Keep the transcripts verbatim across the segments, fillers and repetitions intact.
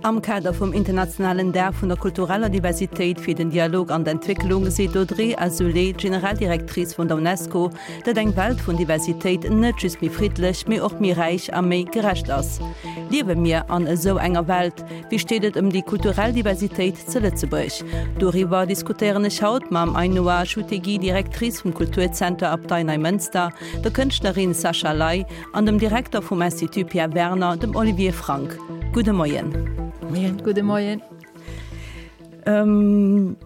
Am Kader vum internationalen Dag vun der kultureller Diversitéit fir den Dialog an d'Entwécklung seet d'Audrey Azoulay, Generaldirectrice vun der Unesco, datt eng Welt vun Diversitéit net just méi friddlech, mee och méi räich a méi gerecht ass. Liewe mir an esou enger Welt? Wéi steet et ëm déi kulturell Diversitéit zu Lëtzebuerg? Doriwwer diskutéieren ech haut mam Ainhoa Achutegui, Directrice vum Kulturzenter Abtei Neimënster, der Kënschtlerin Sascha Ley an dem Direkter vum Institut Pierre Werner, dem Olivier Frank. Gudde Moien. Moien. Gudde Moien. Ähm,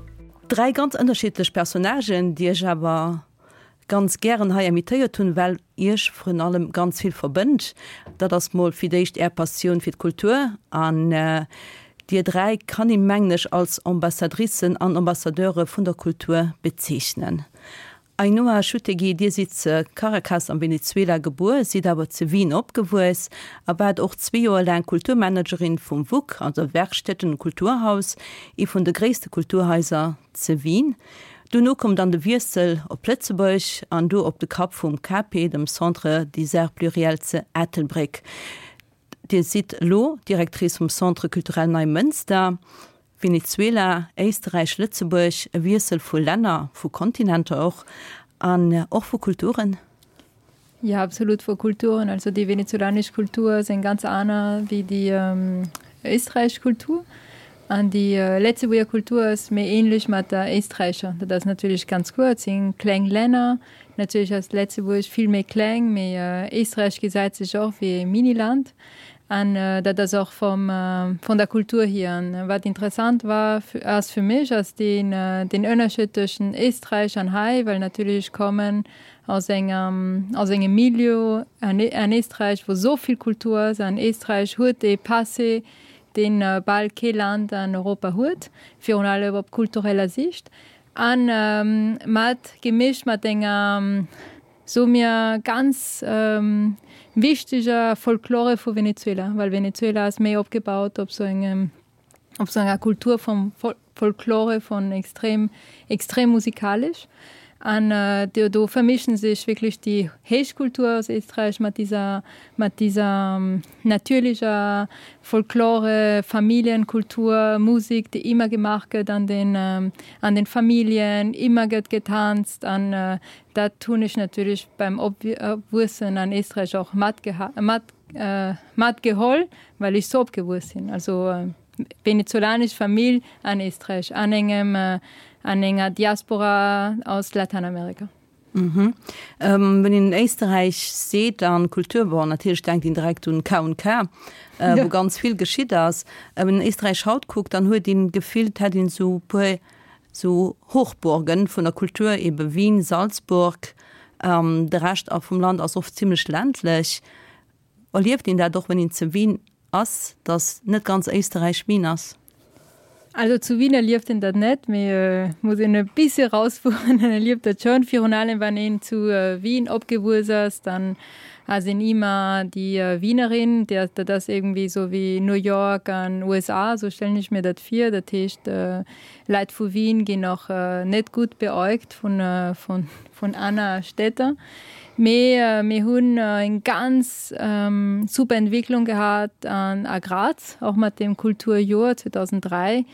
dräi ganz ënnerschiddlech Personnagen, déi ech awer ganz gären hei invitéiert hunn, well iech vrun allem ganz vill verbënnt. Dat ass mol fir d'éischt är Passioun fir d'Kultur an äh, dir dräi kann ee mengen ech als Ambassadricen an Ambassadeure vun der Kultur bezeechnen. Ainhoa Achutegui, Dir sidd zu Caracas am Venezuela gebuer, sidd awer zu Wien opgewuess a waart och zwee Joer laang Kulturmanagerin vum WUK, also Werkstätten und Kulturhaus, ee vun de gréisste Kulturhaiser zu Wien. Dono koum dann de Wiessel op Lëtzebuerg an do op de Kapp vum CAPE, dem Centre des Arts Pluriels zu Ettelbréck. Dir sidd elo Directrice vum Centre Culturel Neimënster. Venezuela, Éisterräich, Lëtzebuerg, e Wiessel vu Länner, vu Kontinenter och an och vu Kulturen? Ja, absolut vu Kulturen. Also déi venezolanesch Kultur ass eng ganz aner wéi déi ähm, éisträichesch Kultur. An déi äh, Lëtzebuerger Kultur ass méi ähnlech mat der éisträichescher. Dat ass natierlech ganz gutt, et si kleng Länner. Natierlech ass Lëtzebuerg vill méi kleng, mee äh, Éisträich gesäit sech och wéi e Miniland. An äh, dat ass och vum, äh, vun der Kultur hier. An wat interessant war ass fir mech ass den, äh, den Ënnerscheed tëschent Éisträich an hei, well natierlech ech kommen aus engem, aus engem Milieu an, an Éisträich, wou sou vill Kultur ass. An Éisträich huet e Passé, deen äh, bal kee Land an Europa huet, virun allem op kultureller Siicht. An ähm, mat gemischt mat enger soe mir ganz ähm, wichteger Folklore vu Venezuela, well Venezuela ass méi opgebaut op sou engem op sou enger Kultur vum Folklore vun extrem extrem musikalesch. An äh, do, do vermischen sech wierklech déi Héichkultur aus Éisträich mat dieser mat dieser ähm, natürlecher Folklore, Familienkultur, Musik, déi ëmmer gemaach gëtt an den ähm, an den Familljen, ëmmer gëtt gedanzt an äh, dat hunn ech natierlech beim Opwuessen an Éisträich och mat mat äh, matgeholl, well ech sou opgewuess sinn. Also äh, venezolanesch Famill an Éisträich an engem äh, an enger Diaspora aus Lateinamerika. Mhm. Ähm, wann een Éisterräich seet an Kultur bon natierlech denkt een direkt un K und K, äh, ja. wou ganz vill geschitt ass. Äh, wann een Éisträich haut kuckt, dann huet een d'Gefill, et hätt een sou puer sou Hochburgen vun der Kultur ebe Wien, Salzburg, ähm, de Rescht och vum Land ass oft zimmlech ländlech. Erlieft een dat och wann een zu Wien ass, dass net ganz Éisterräich Wien ass? Also zu Wien erlieft een dat net, mee äh, muss een e bësse rausfueren, dann erlieft dat schonn. Virun allem wann een zu äh, Wien opgewuess ass, dann ass een ëmmer déi äh, Wienerin, der, dat ass iergendwéi sou wéi New York an USA, sou stellen ech mir dat vir. Dat heescht äh, Leit vu Wien ginn och äh, net gutt beäugt vun, äh, vun, vun aner Stied. Mee äh, mir hunn äh, eng ganz ähm, super Entwécklung gehat an a Graz, och mat dem Kulturjoer zweedausenddräi.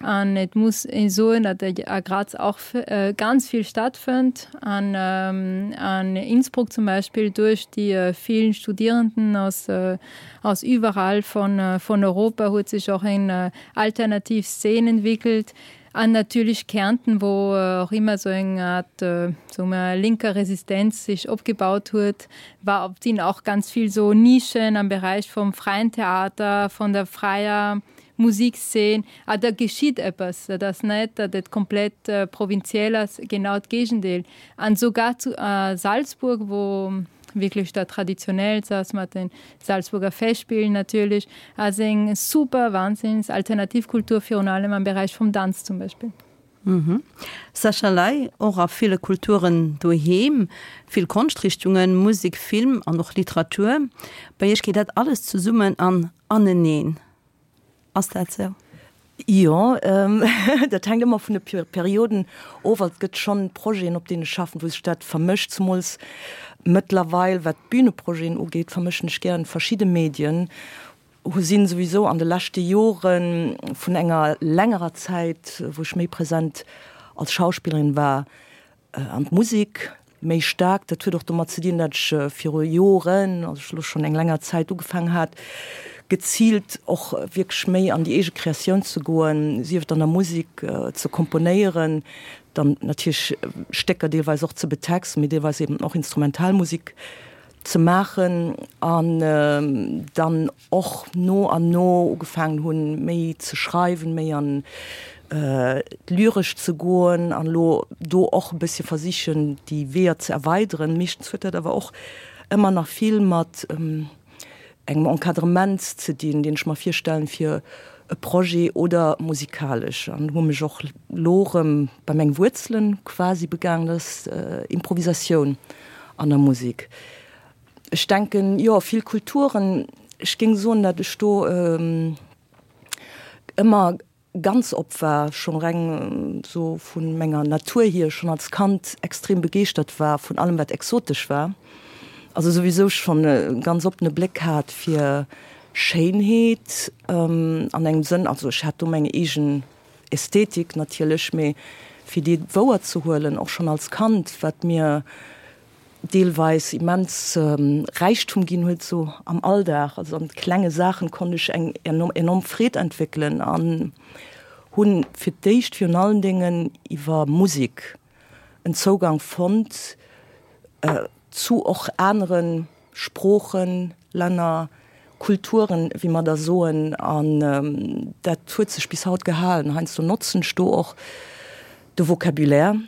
An et muss ee soen, datt a Graz och äh, ganz vill stattfënnt. An, ähm, an Innsbruck zum Beispill duerch déi äh, vill Studierenden aus, äh, aus iwwerall vun, äh, vun Europa huet sech och eng äh, alternativ Szen entwéckelt. An natierlech Kärnten, wou äh, och ëmmer sou eng Art äh, sou eng lénker Resistenz sech opgebaut huet, war op sinn och ganz vill sou Nischen am Beräich vum fräien Theater, vun der fräier Musikszeen. Ah, do geschitt eppes, dat ass net, datt et komplett äh, provinziell ass, genau d'Géigendeel. An souguer zu äh, Salzburg, wou wierklech da traditionell ass mat den Salzburger Festspielen natierlech, also eng super Wahnsinns Alternativkultur virun allem am Beräich vum Danz zum Beispill. Mhm. Sascha Ley, och a ville Kulturen doheem, vill Konschtrichtungen, Musek, Film an och Literatur. Bei iech geet dat alles zesummen an aneneen. Ass dat sou? Jo, ähm, dat hänkt ëmmer vun de Perioden of. Et gëtt schonn Projeten, op deenen ech schaffen, wou sech dat vermëscht, zemools mëttlerweil, wat Büneprojeten ugeet, vermëschen ech gär verschidde Medien. hu sinn souwisou an de leschte Jore vun enger längerer Zäit, wou ech méi present als Schauspillerin war, an d'Musek méi staark. Dat huet och domat ze dinn, datt ech viru Joren, also elo schonn eng länger Zäit, ugefaangen hat, geziilt och wierklech méi an déi eege Kreatioun ze goen, sief et an der Musek ze komponéieren, dann natierlech Stécker deelweis och ze betexten, mee deelweis eben och Instrumentalmusek ze maachen an dann och no an no ugefaangen hunn, méi ze schreiwen, méi an d'Lyresch ze goen an elo do och e bëssche versichen, déi Weeër ze erweideren. Meeschtens huet dat awer och ëmmer nach vill mat engem Encadrement ze dinn, deen ech mer virstellen fir e Projet oder musikalesch. An hu mech och lo erëm bei meng Wuerzelen quasi begaangen, dat ass Improvisatioun an der Musek. Ech denken, jo, vill Kulturen, ech géing soen, datt ech do ëmmer ganz op war, scho reng sou vu menger Natur hier, schonn als Kand extrem begeeschtert war vun allem wat exotesch war, also souwisou schonn e ganz oppene Bléck hat fir Schéinheet an engem Sënn, also ech hat do meng eegen Ästhetik natierlech, mee fir déi wouer ze huelen, och schonn als Kand, wat mir deelweis immens Räichtum ginn huet, sou am Alldag, also an klenge Saachen konnt ech eng enorm Freed entwéckelen an hunn fir d'éischt virun allen Déngen iwwer Musek en Zougang fonnt zu och anere Sproochen, Länner, Kulturen, wéi mer da soen. An dat huet sech bis haut gehalen. Heiansdo notzen ech do och de Vocabulaire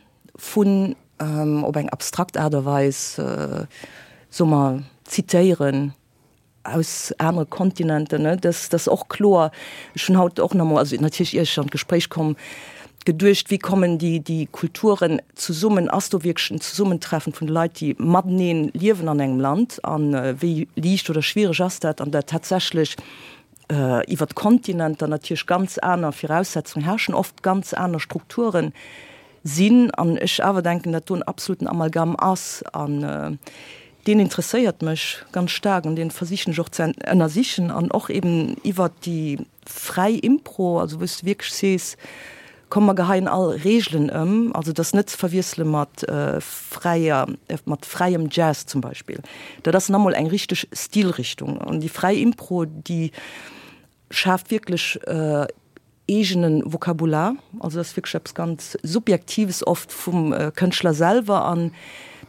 vun op eng abstrakt Aart a Weis, soe mer, zitéieren aus anere Kontinenten, ne, dass dass och kloer. Ech hunn haut och nach emol, also natierlech ier ech an d'Gespréich komm, geduecht, wéi kommen déi déi Kulturen zesummen, ass do wierklech en Zesummentreffen vun de Leit, déi matenee liewen an engem Land, a wéi liicht oder schwiereg ass dat, an dat tatsächlech iwwer d'Kontinenter natierlech ganz aner Viraussetzungen herrschen, oft ganz aner Strukturen sinn, an ech awer denken, datt do en absoluten Amalgam ass, an deen interesséiert mech ganz staark an dee versichen ech och ze ënnersichen, an och eben iwwert déi fräi Impro, also wou s de wierklech sees, komm mer geheien all Reegelen ëm, also dat ass net ze verwiessele mat fräier, mat fräiem Jazz zum Beispill, dat ass nach emol eng richteg Stilrichtung, an déi fräi Impro, déi schaaft wierklech eegene Vokabular, also dat ass wierklech eppes ganz Subjektives oft vum Kënschtler selwer an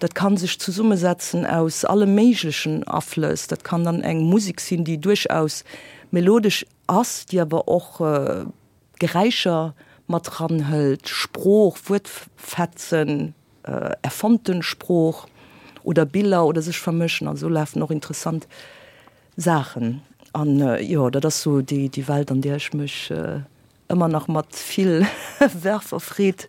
dat ka sech zesummesetzen aus alle méiglechen Aflëss. Dat kann dann eng Musek sinn, déi duerchaus melodesch ass, déi awer och Geräischer mat eranhëlt, Sprooch, Wuertfetzen, erfonnten Sprooch oder Biller oder sech vermëschen. Also do lafen och interessant Saachen. An jo, dat ass sou déi Welt, an där ech mech ëmmer nach mat vill Verve a Freed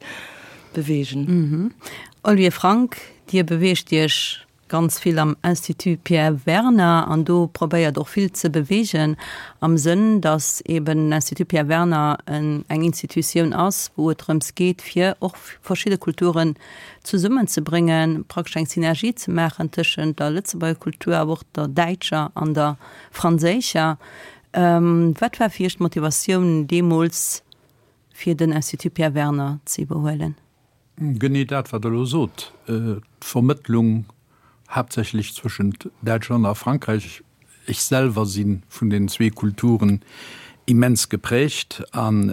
beweegen. Olivier Frank, Dir beweegt Iech ganz vill am Institut Pierre Werner an do probéiert och vill ze beweegen am Sënn, datt eben den Institut Pierre Werner eng Institutioun ass, wou et drëms geet, fir och verschidde Kulturen zesummenzebréngen, praktesch eng Synergie ze maachen tëschent der Lëtzebuerger Kultur, awer och der däitscher an der franséischer. Wat war fir Iech d'Motivatioun deemools, fir den Institut Pierre Werner ze iwwerhuelen? Genee dat, wat Der elo sot, d'Vermëttlung haaptsächlech zwëschent Däitschland a Frankräich. Ech selwer si vun den zwee Kulturen immens geprägt an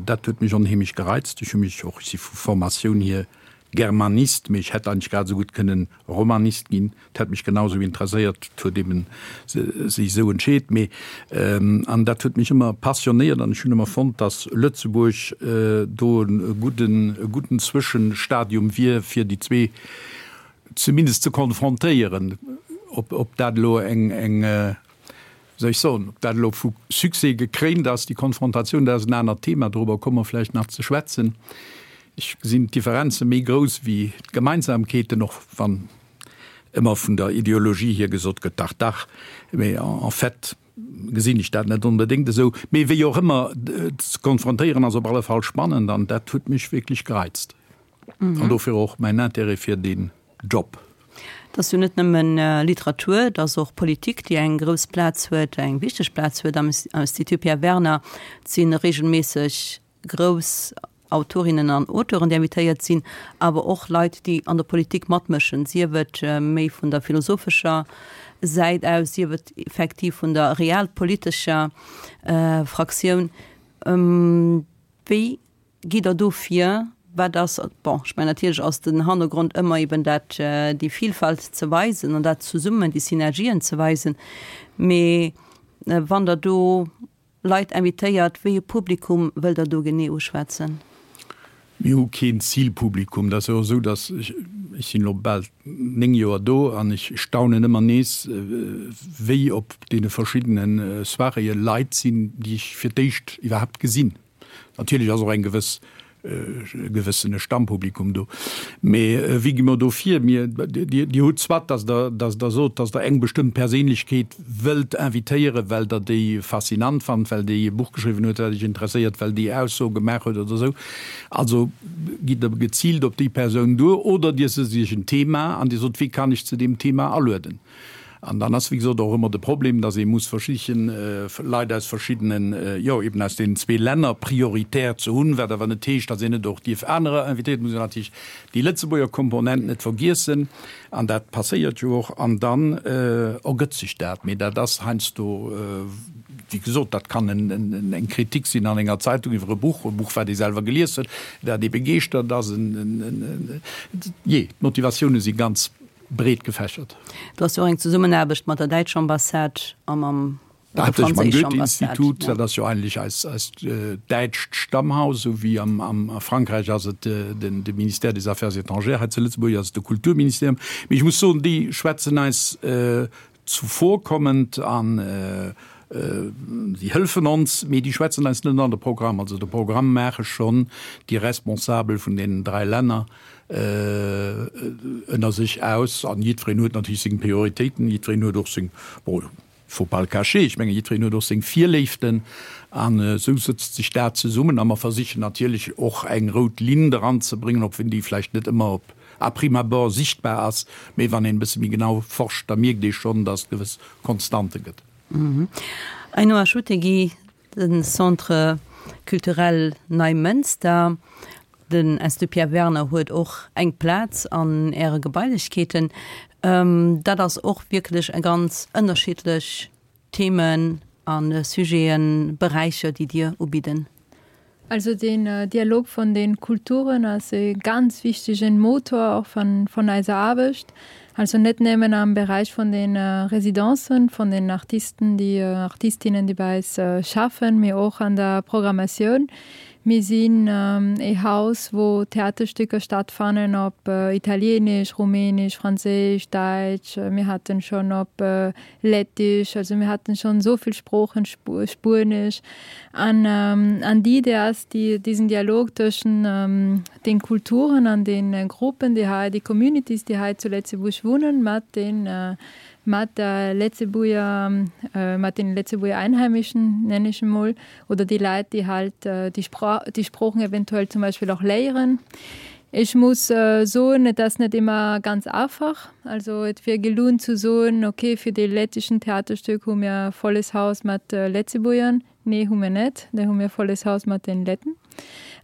dat huet mech onheemlech gereizt. Ech hu mech och, ech si vu Formatioun hier Germanist, mee ech hätt eigentlech grad esou gutt kënnen Romanist ginn. Et hätt mech genau esou interesséiert. Et huet eben sech esou entscheet. Mee, an dat huet mech ëmmer passionéiert an ech hunn ëmmer fonnt, datt Lëtzebuerg do e gudden, e gudden Zwëschenstadium wier, fir déi zwee zumindest ze konfrontéieren. Ob, ob dat elo eng, eng, wéi soll ech soen, ob dat elo vu Succès gekréint ass, déi Konfrontatioun, dat ass en anert Thema, dorobber komme mer vläicht nach ze schwätzen. Ech gesinn d'Differenze méi grouss wéi d'Gemeinsamkeeten, och wann ëmmer vun der Ideologie hier gesot gëtt, dach, dach, mee en fait gesinn ech dat net onbedéngt esou. Mee wéi och ëmmer, ze konfrontéieren ass op alle Fall spannend an dat huet mech wierklech gereizt an dofir och mäin Intérêt fir deen Job. Et ass jo net nëmmen Literatur, et ass och Politik, déi eng grouss Plaz huet, eng wichteg Plaz huet am Institut Pierre Werner. Et si reegelméisseg grouss Autorinnen an Auteuren, déi invitéiert sinn, awer och Leit, déi an der Politik matmëschen, sief et méi vun der philosophescher Säit aus, sief et effektiv vun der realpolitescher Fraktioun. Wéi gitt Der do vir? Wat ass, bon, ech mengen natierlech ass den Hannergrond ëmmer eben dat, déi Vielfalt ze weisen an dat zesummen, déi Synergien ze weisen, mee wann Der do Leit invitéiert, wéi e Publikum wëllt Der do genee uschwätzen? Mir hu keen Zilpublikum. Dat ass jo och esou, datt, ech sinn elo bal néng Joer do an ech staunen ëmmer nees, wéi op deene verschiddene Soiréeë Leit sinn, déi ech fir d'éischt iwwerhaapt gesinn. Natierlech ass och eng gewëss, e gewëssene Stammpublikum do. Mee wéi gi mer do vir? Mir, Dir, Dir hutt soit, datt Der, datt Der sot, datt Der eng bestëmmt Perséinlechkeet wëllt invitéieren, well Der déi faszinant fannt, well déi e Buch geschriwwen huet, wat Iech interesséiert, well déi Ausso gemaach huet oder esou. Also gitt Der geziilt op déi Persoun duer oder Dir sëtzt Iech en Thema an Dir sot, Wie kann ech zu deem Thema alueden? An dann ass, wéi gesot, och ëmmer de Problem, dass ee muss versichen, Leit aus verschiddenen, jo, eben aus deenen zwee Länner prioritär ze hunn, wat awer net heescht, dass een net och dierf anerer invitéieren. Et muss een natierlech déi Lëtzebuerger Komponent net vergiessen, an dat passéiert jo och. An dann ergëtt sech dat. Mee dat ass heiansdo, wéi gesot, dat kann eng Kritik sinn an enger Zeitung iwwer e Buch, e Buch, wat ee selwer gelies huet, dat ee begeeschtert ass. Jee, d'Motivatioune si ganz breet gefächert. Do ass jo och eng Zesummenaarbecht mat der däitscher Ambassade a mam der Haaptsächlech mam franséischer Ambassade. Goethe-Institut, dat ass jo eigentlech eis, eist däitscht Stammhaus, esou wéi am, am, a Frankräich ass et den, de Ministère des Affaires étrangères, hei zu Lëtzebuerg ass et de Kulturministerium. Mee ech muss soen, déi schwätzen eis zuvorkommend an si hëllefen ons, mee déi schwätzen eis net an de Programm. Also de Programm maache schonn déi Responsabel vun deenen dräi Länner ënner sech aus. An jiddwereen huet natierlech seng Prioritéiten, jiddwereen huet och seng, bon, faut pas le cacher, ech mengen, jiddwereen huet och seng Virléiften. An esou sëtzt sech dat zesummen. A mer versichen natierlech och eng rout Linn eranzebréngen, och wenn déi vläicht net ëmmer op à prime abord sichtbar ass, mee wann een e bësse méi genau forscht, da mierkt ee schonn, dass et gewëss Konstante gëtt. Ainhoa Achutegui, De Centre culturel Neimënster, den Institut Pierre Werner huet och eng Plaz an Äre Gebailechkeeten. Dat ass och wierklech e ganz ënnerschiddlech Themen a Sujeten, Beräicher, déi Dir ubidden. Also den Dialog von den Kulturen ass e ganz wichtegen Motor och von, von eiser Aarbecht. Also net nëmmen am Bereich von den Residencen, von den Artisten, déi Artistinnen, déi bei eis schaffen, mee och an der Programmatioun. Mir sinn e Haus, wou Theaterstücker stattfannen op Italienisch, Rumänisch, Franséisch, Däitsch, mir haten schonn op Lettisch, also mir haten schonn esou vill Sproochen, Spuenesch. An an déi Idee ass, déi diesen Dialog tëschen den Kulturen an den Gruppen, déi hei, déi Communities, déi hei zu Lëtzebuerg wunnen, mat den mat der Lëtzebuerger, mat den Lëtzebuerger Einheimischen, nenn ech emol, oder déi Leit, déi halt déi Spra déi Sproochen eventuell zum Beispill och léieren. Ech muss soen, et ass net ëmmer ganz einfach. Also et wier gelunn zu soen, okay, fir dee lettischen Theaterstück hu mir volles Haus mat Lëtzebuergern. Nee, hu mir net. Da hu mir volles Haus mat den Letten.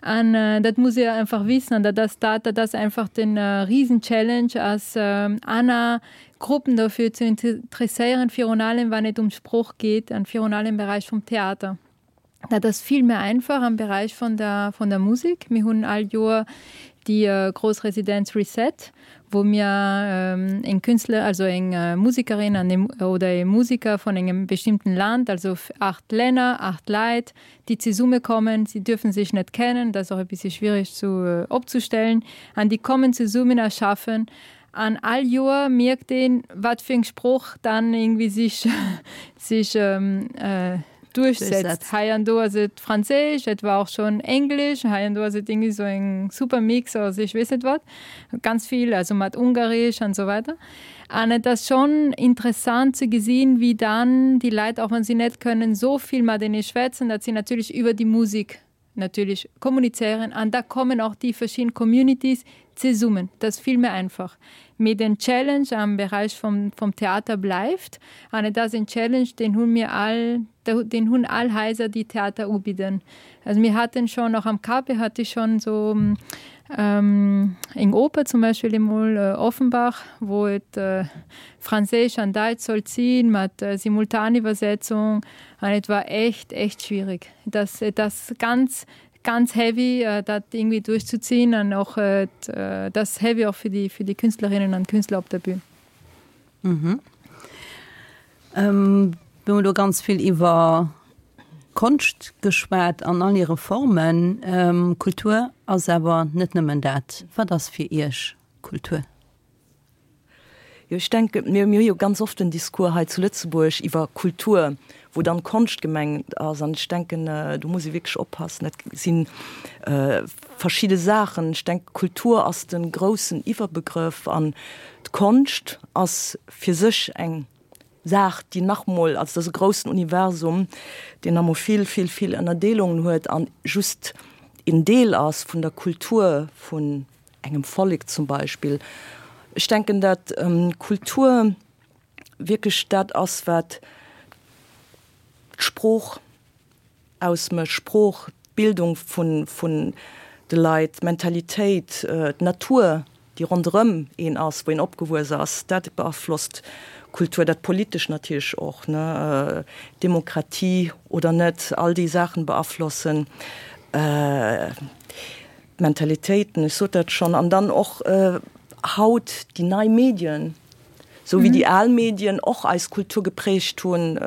An dat muss ee einfach wissen an dat ass dat, dat ass einfach den Riesen-Challenge ass aner Gruppen dofir ze interesséieren, virun allem wann et ëm Sprooch geet an virun allem am Beräich vum Theater. Dat ass vill méi einfach am Beräich vun der, vun der Musek. Mir hunn all Joer déi grouss Residenz Reset, wou mir eng Künstler, also eng Musekerin an e oder e Musiker vun engem bestimmten Land, also acht Länner, acht Leit, déi zesummekommen. Si dürfen sech net kennen, dat ass och e bëssi schwierig zu opzestellen, an déi kommen zesummen a schaffen. An all Joer mierkt een, wat fir eng Sprooch dann irgendwie sech, sech duerchsetzt. Hei an do ass et Franséisch, et war och schonn Englesch, hei an do ass et irgendwie sou eng super Mix aus ech weess net wat, ganz vill, also mat Ungaresch an esou weider. An et ass schonn interessant ze gesinn, wéi dann déi Leit, och wann si net kënnen esou vill matenee schwätzen, datt si natierlech iwwer déi Musek natierlech kommunizéieren. An da kommen och déi verschidden Communities, zesummen. Dat ass vill méi einfach. Mee den Challenge am Beräich vum, vum Theater bleift an et ass en Challenge, deen hu mir all, deen hunn all Haiser, déi Theater ubidden. Also mir haten schonn, och am KP hat ech schonn esou ähm, eng Oper zum Beispill emol äh, Offenbach, wou et äh, Franséisch an Däitsch sollt sinn, mat äh, Simultaniwwersetzung an et war echt, echt schwierig. Das, das ganz ganz heavy äh, dat irgendwie durchzuziehen an och äh, das heavy auch für die für die Künstlerinnen an Künstler op der Bühn. Mhm. Ähm, mir hunn do ganz vill iwwer Konscht geschwat an all hire Formen. Ähm, Kultur ass awer net nëmmen dat. Wat ass fir Iech Kultur? Jo, ech denke, mir mir hu jo ganz oft den Discours hei zu Lëtzebuerg iwwer Kultur, wou dann Konscht gemengt ass. An ech denken, do muss ee wierklech oppassen, dat si verschidde Saachen. Ech denke, Kultur ass de groussen Iwwerbegrëff an d'Konscht ass fir sech eng Saach, déi nach emol, also dat ass e groussen Universum, deen nach emol vill, vill, vill Ënnerdeelungen huet an just een Deel ass vun der Kultur vun engem Vollek zum Beispill. Ech denken, dat Kultur wierklech dat ass, wat d'Sprooch ausmécht, Sprooch, d'Bildung vun, vun de Leit, d'Mentalitéit, d'Natur, déi ronderëm een ass, wou een opgewuess ass, dat beaflosst Kultur, dat Politesch natierlech och, ne, Demokratie oder net, all déi Saachen beaflossen d'Mentalitéiten, ech sot dat schonn, an dann och haut déi nei Medien, Sou wéi déi al Medien och eis Kultur geprägt hunn,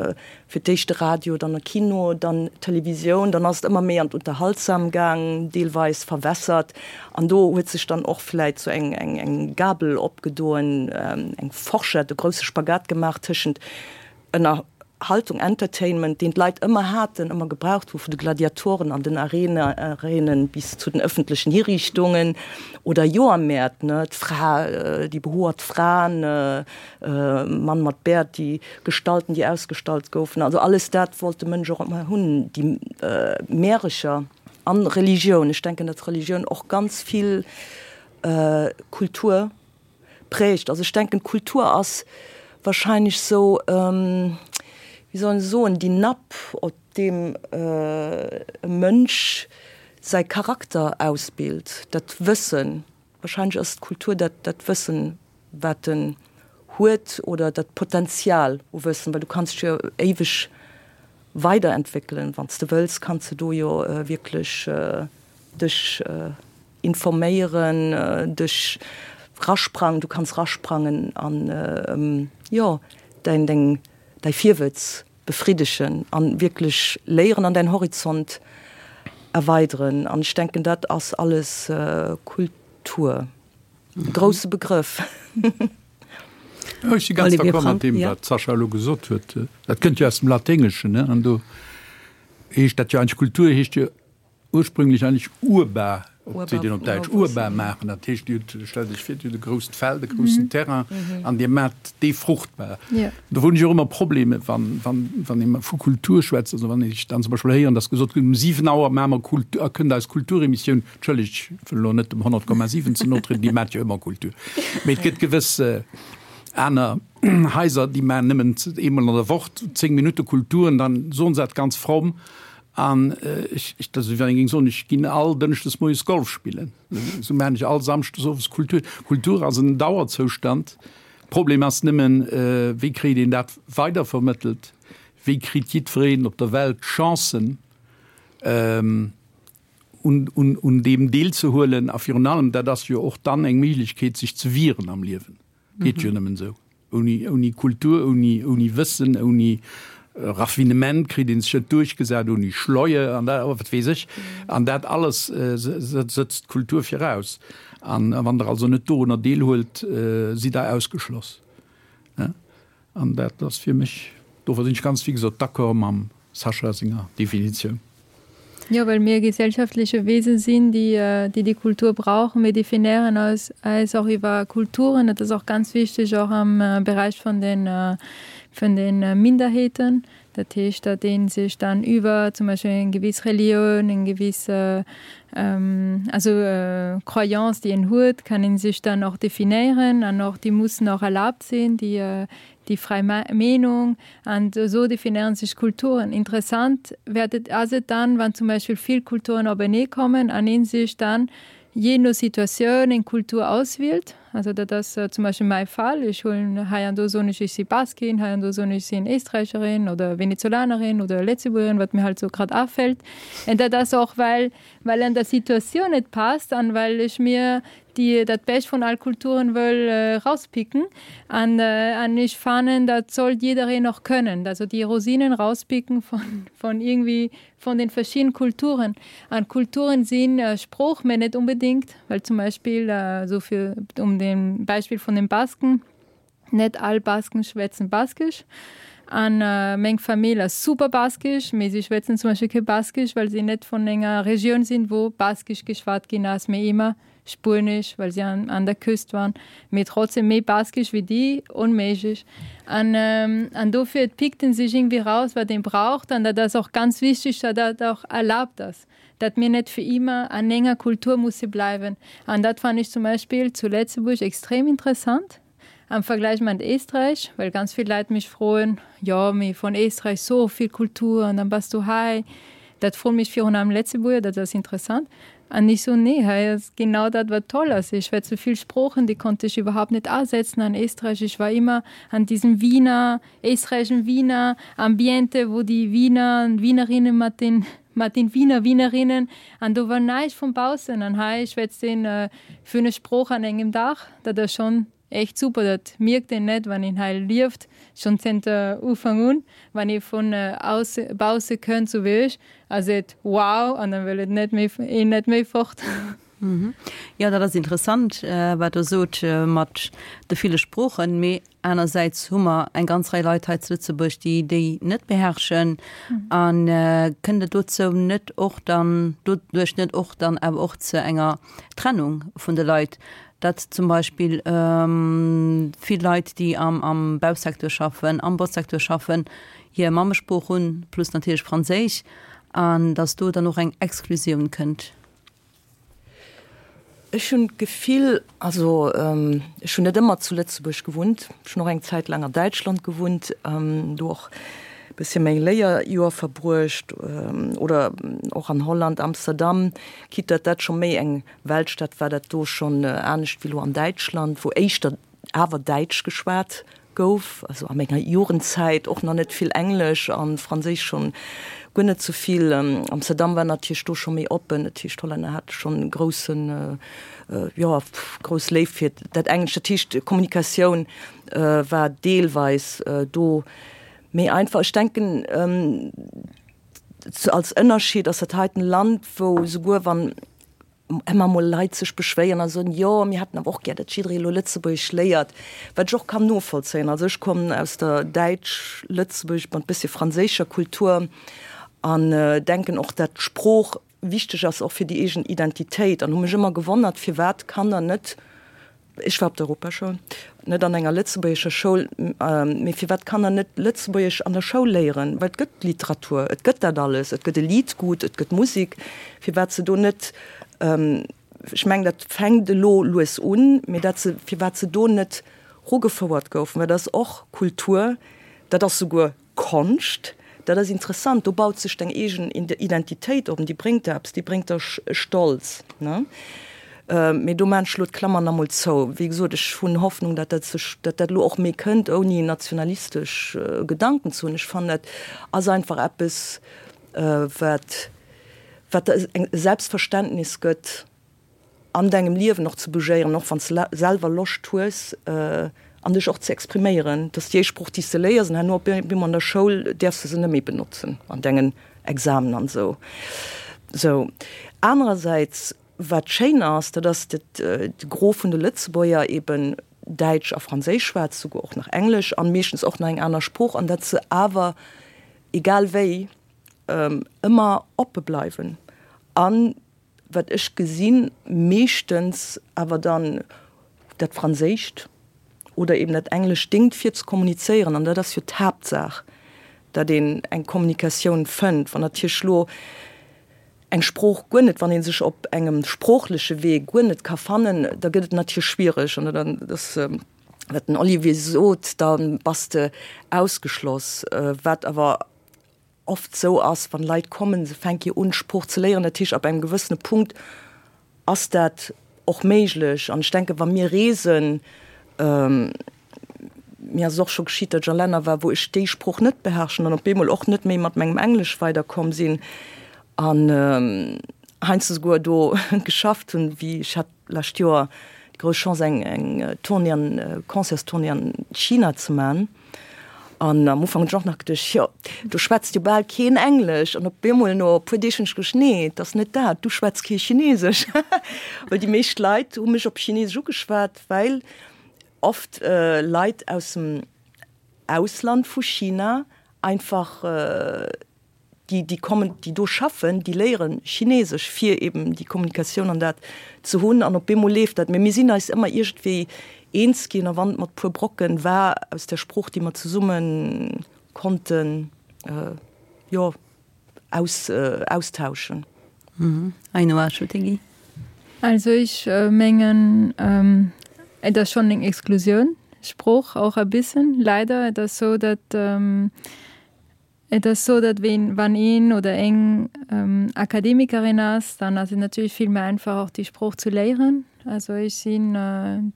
fir d'éischt de Radio, dann de Kino, dann d'Televisioun, dann ass et ëmmer méi an d'Unterhaltsam gaang, deelweis verwässert. An do huet sech dann och vläit sou eng, eng, eng Gabel opgedoen, eng Forschett, e grousse Spagat gemaach tëschent Ënnerhaltung, Entertainment, deen d'Leit ëmmer haten, ëmmer gebraucht hu, vun de Gladiatoren an den Arenen bis zu den ëffentlechen Hiriichtungen oder Joermäert, ne, d'Fra, déi behoert Fraen, Mann mat Bäert, déi Gestalten, déi ausgestallt goufen. Also alles dat wollt de Mënsch och ëmmer hunn, déi Märecher an Religioun. Ech denken, datt Religioun och ganz vill Kultur prägt. Also ech denken, d'Kultur ass wahrscheinlech sou, wéi soll een soen, déi Napp, op deem e Mënsch säi Charakter ausbilt, dat Wëssen. Wahrscheinlech ass d'Kultur dat, dat Wëssen, wat en huet oder dat Potenzial u Wëssen, well du kanns dech jo éiweg weiderentwéckelen. Wann s de wëlls, kanns de do jo wierklech dech informéieren, dech rasprangen, du kanns rasprangen an jo däin deng däi Virwëtz befriddegen an wierklech léieren an däin Horizont erweideren. An ech denken dat ass alles Kultur. E grousse Begrëff. Ech si ganz d'accord mat deem wat d'Sascha elo gesot huet. Dat kënnt jo aus dem Laténgeschen, ne, an do heescht dat jo eigentlech, Kultur heescht jo Ursprünglech eigentlech urbar, seet een op Däitsch, urbar maachen. Dat heescht, Dir hutt, stellt Iech vir, Dir hutt e grousst Feld, e groussen Terrain an Dir maacht dee fruchtbar. Do hunn ech och ëmmer Problemer, wann, wann, wann ee vu Kultur schwätzt, also wann ech dann zum Beispill héieren, dass gesot gëtt, um siwen Auer maache mer Kultur, a kënnt eis Kulturemissioun. Entschëllegt, ech wëll elo net dem honnert Komma siwen ze no trieden, déi maacht jo ëmmer Kultur. Mee et gëtt gewëss aner Haiser, déi maachen nëmmen eemol an der Woch zéng Minutte Kultur an dann soen se dat ganz fromm. An ech, dat ass wéi wann ee géing soen, ech ginn all Dënschdes moies Golf spillen. Esou maachen ech all Samschdes owes Kultur. Kultur ass en Dauerzoustand. Problem ass nëmmen, wéi kritt een dat weidervermëttelt? Wéi kritt jiddwereen op der Welt d'Chancen, un, un, un deem deelzehuelen? A virun allem, dat ass jo och dann eng Méiglechkeet, sech ze wieren am Liewen. Geet jo nëmmen esou. Ouni, ouni Kultur, ouni, ouni Wëssen, ouni Raffinement kritt een sech net duerchgesat, ouni Schleue an dat, wat weess ech. An dat alles sëtzt d'Kultur viraus. An wann Der also net dorunner deelhuelt, sidd Der ausgeschloss. An dat ass fir mech, dofir sinn ech ganz, wéi gesot, d'accord mam Sascha senger Definitioun. Jo, well mir gesellschaftliche Wesen sinn, déi déi Kultur brauchen. Mir definéieren eis eis och iwwer Kulturen. Dat ass och ganz wichteg och am Beräich vun den vun den Minderheeten, Dat heescht, datt ee sech dann iwwer zum Beispill eng gewiss Relioun, eng gewiss also Croyance, déi een huet, kann ee sech dann och definéieren an och déi mussen och erlaabt sinn, déi déi fräi Meenung. An esou definéieren sech Kulturen. Interessant wäert et ass et dann, wann zum Beispill vill Kulturen openee kommen an ee sech dann jee no Situatioun eng Kultur auswielt. Also dat ass zum Beispill mäi Fall, ech huelen hei an do soen ech, ech si Baskin, hei an do soen ech, ech sinn Éisträicherin oder Venezolanerin oder Lëtzebuergerin, wat mir halt sou grad afält. An dat ass och well well an der Situatioun et passt an well ech mir déi dat Bescht vun all Kulturen wëll rauspicken. An an ech fannen, dat sollt jiddereen och kënnen, also déi Rosinen rauspicken von von irgendwie von den verschiedenen Kulturen. An Kulturen sinn Sprooch, mä net unbedingt, well zum Beispill esou fir um dem Beispill vun den Basken, net all Basken schwätzen Baskesch. An meng Famill ass super baskesch, mee si schwätzen zum Beispill kee Baskesch, well si net vun enger Regioun sinn, wou Baskesch geschwat ginn ass, mee ëmmer Spuenesch, well si an, an der Küst waren, mee trotzdem méi Baskesch wéi déi, onméiglech. An, an dofir, et pickt en sech irgendwie raus, wat een braucht, an dat ass och ganz wichteg, datt dat och erlaabt ass, datt mir net fir ëmmer an enger Kultur musse bleiwen. An dat fannen ech zum Beispill zu Lëtzebuerg extrem interessant am Vergleich mat Éisträich, well ganz vill Leit mech froen, jo, mee vun Éisträich sou vill Kultur an dann bass du hei. Dat froen mech virun allem Lëtzebuerger, dat ass interessant. An ech soen, nee, hei ass genau dat, wat toll ass. Ech schwätze vill Sproochen, déi konnt ech iwwerhaupt net asetzen an Éisträich. Ech war ëmmer an diesem Wiener, éisträichischen Wiener Ambiente, wou déi Wiener an Wienerinnen mat den, mat den Wiener Wienerinnen an do war näischt vun baussen. An hei schwätzt een fënnef Sproochen an engem Dag. Dat ass schonn echt super, dat mierkt een net, wann een hei lieft, schonn zënter Ufank un. Wann ee vun ausse, bausse kënnt, sou wéi ech, a seet wow an dann wëll et net méi, een net méi fort. Jo, dat ass interessant, wat Der sot mat de ville Sproochen. Mee anersäits hu mer eng ganz Rei Leit hei zu Lëtzebuerg, déi déi net beherrschen. A kënnt et dozou net och dann, doduerch net och dann awer och zu enger Trennung vun de Leit, datt zum Beispill vill Leit, déi am am Bausecteur schaffen, am Botzsecteur schaffen, hir Mammesprooch hunn, plus natierlech Franséisch, an datt do dann och eng Exklusioun kënnt? Ech hunn d'Gefill, also ech hunn net ëmmer zu Lëtzebuerg gewunnt, ech hunn och eng Zäit laang an Däitschland gewunnt, do och e bëssche meng Léierjoer verbruecht, oder och an Holland, Amsterdam, quitte datt dat scho méi eng Weltstad war, dat do schonn anescht wéi elo an Däitschland, wou éischter awer Däitsch geschwat gouf, also a menger Jugendzäit och nach net vill Englesch an Franséisch schonn guer net sou vill. Amsterdam war natierlech do scho méi oppen, dat heescht d'Hollänner hate schonn e groussen, jo, grouss Léift fir dat Englescht. Dat heescht d'Kommunikatioun war deelweis do méi einfach. Ech denken als Ënnerscheed ass dat heiten Land, wou souguer wann ëmmer mol Leit sech beschwéieren a soen, jo mir hätten awer och gär, datt jidderee elo Lëtzebuergesch léiert, wat ech och kann novollzéien. Also ech kommen aus der däitsch-lëtzebuergesch mat bëssche franséischer Kultur an denken och, datt d'Sprooch wichteg ass och fir déi eegen Identitéit an hu mech ëmmer gewonnert, firwat Kanner net, Ech war op der Europaschoul, net an enger lëtzebuergescher Schoul, mee firwat Kanner net Lëtzebuergesch an der Schoul léieren, well et gëtt Literatur, et gëtt dat alles, et gëtt e Liedgut, et gëtt Musik, firwat se do net, ech mengen dat fänkt elo lues un, mee dat se, firwat se do net rugefouert goufen, well dat ass och Kultur, dat ass souguer Konscht, dat ass interessant, do baut sech deng eegen Identitéit op an déi bréngt der eppes, déi bréngt der Stolz, ne. Mee do maan ech elo d'Klammer nach emol zou. Wéi gesot, ech hunn Hoffnung, datt dat sech, datt dat elo och méi kënnt, ouni nationalistesch Gedanken ze hunn. Ech fannen, dat ass einfach eppes, wat, wat der e Selbstverständnis gëtt, an dengem Liewen och ze bougéieren, och wann s de selwer Loscht hues, an dech och ze expriméieren. Dat ass déi éischt Sprooch, déi s de léiers, an herno op eemol an der Schoul däerfs de se net méi benotzen an dengen Examen an esou. Sou. Anerersäits. Wat schéin ass, dat ass, datt de Gros vun de Lëtzebuerger eben Däitsch a Franséisch schwätzt, souguer och nach Englesch an meeschtens och nach eng aner Sprooch, an datt se awer, egal wéi, ëmmer oppe bleiwen an, wat ech gesinn, meeschtens awer dann dat Franséischt oder eben dat Englescht déngt fir ze kommunizéieren, an dat ass jo d'Haaptsaach. datt een eng Kommunikatioun fënnt. Wann natierlech lo eng Sprooch guer net, wann ee sech op engem sproochleche Wee guer net ka fannen, da gëtt et natierlech schwiereg. An dann, dass, wat den Olivier sot, da bass de ausgeschloss, wat awer oft sou ass, wann Leit kommen, se fänke jo un d'Sprooch ze léieren, dat heescht ab engem gewëssene Punkt ass dat och méiglech. An ech denke wa mir reesen, mir ass et och scho geschitt, datt ech a Länner war, wou ech déi Sprooch net beherrschen an op eemol och net méi mat mengem Englesch weiderkomm sinn an heiansdo souguer do geschafft hunn, wéi ech hat lescht Joer déi grouss Chance eng eng Tournée an Concertstournée an China ze man. An am Ufank hunn ech och nach geduecht, jo, do schwätzt jo bal keen Englesch. An op eemol no e puer Deeg hunn ech geduecht, nee, et ass net dat, du schwätz kee Chinesesch. Well déi meescht Leit hu mech op Chinesesch ugeschwat, well oft Leit aus dem Ausland vu China einfach déi, déi kommen, déi do schaffen, déi léieren Chinesesch, fir eben déi Kommunikatioun an dat ze hunn. An op eemol leeft dat. Mee mir sinn eis ëmmer iergendwéi eens ginn, a wann et mat puer Brocken war aus der Sprooch, déi mer zesumme konnten, jo, aus, austauschen. Ainhoa Achutegui. Also ech mengen, et ass schonn eng Exklusiounssprooch och e bëssen, leider. Et ass sou, datt Et ass sou, datt ween, wann een oder eng Akademikerin ass, dann ass et natierlech vill méi einfach och déi Sprooch ze léieren. Also ech sinn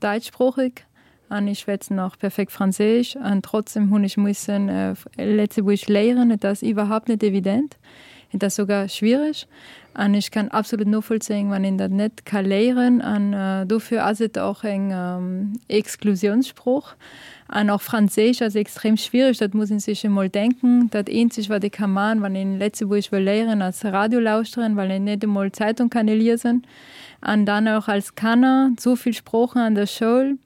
däitschsproocheg an ech schwätzen och perfekt Franséisch an trotzdem hunn ech mussen Lëtzebuergesch léieren. Et ass iwwerhaupt net evident, et ass sougar schwiereg an ech kann absolut novollzéien, wann een dat net ka léieren an dofir ass et och eng Exklusiounssprooch. An och Franséisch ass extrem schwiereg, dat muss een sech emol denken. Dat eenzeg wat ee ka man, wann een Lëtzebuergesch wëll léieren, ass Radio lauschteren, well een net emol Zeitung kann liesen. An dann och als Kanner, sou vill Sproochen an der Schoul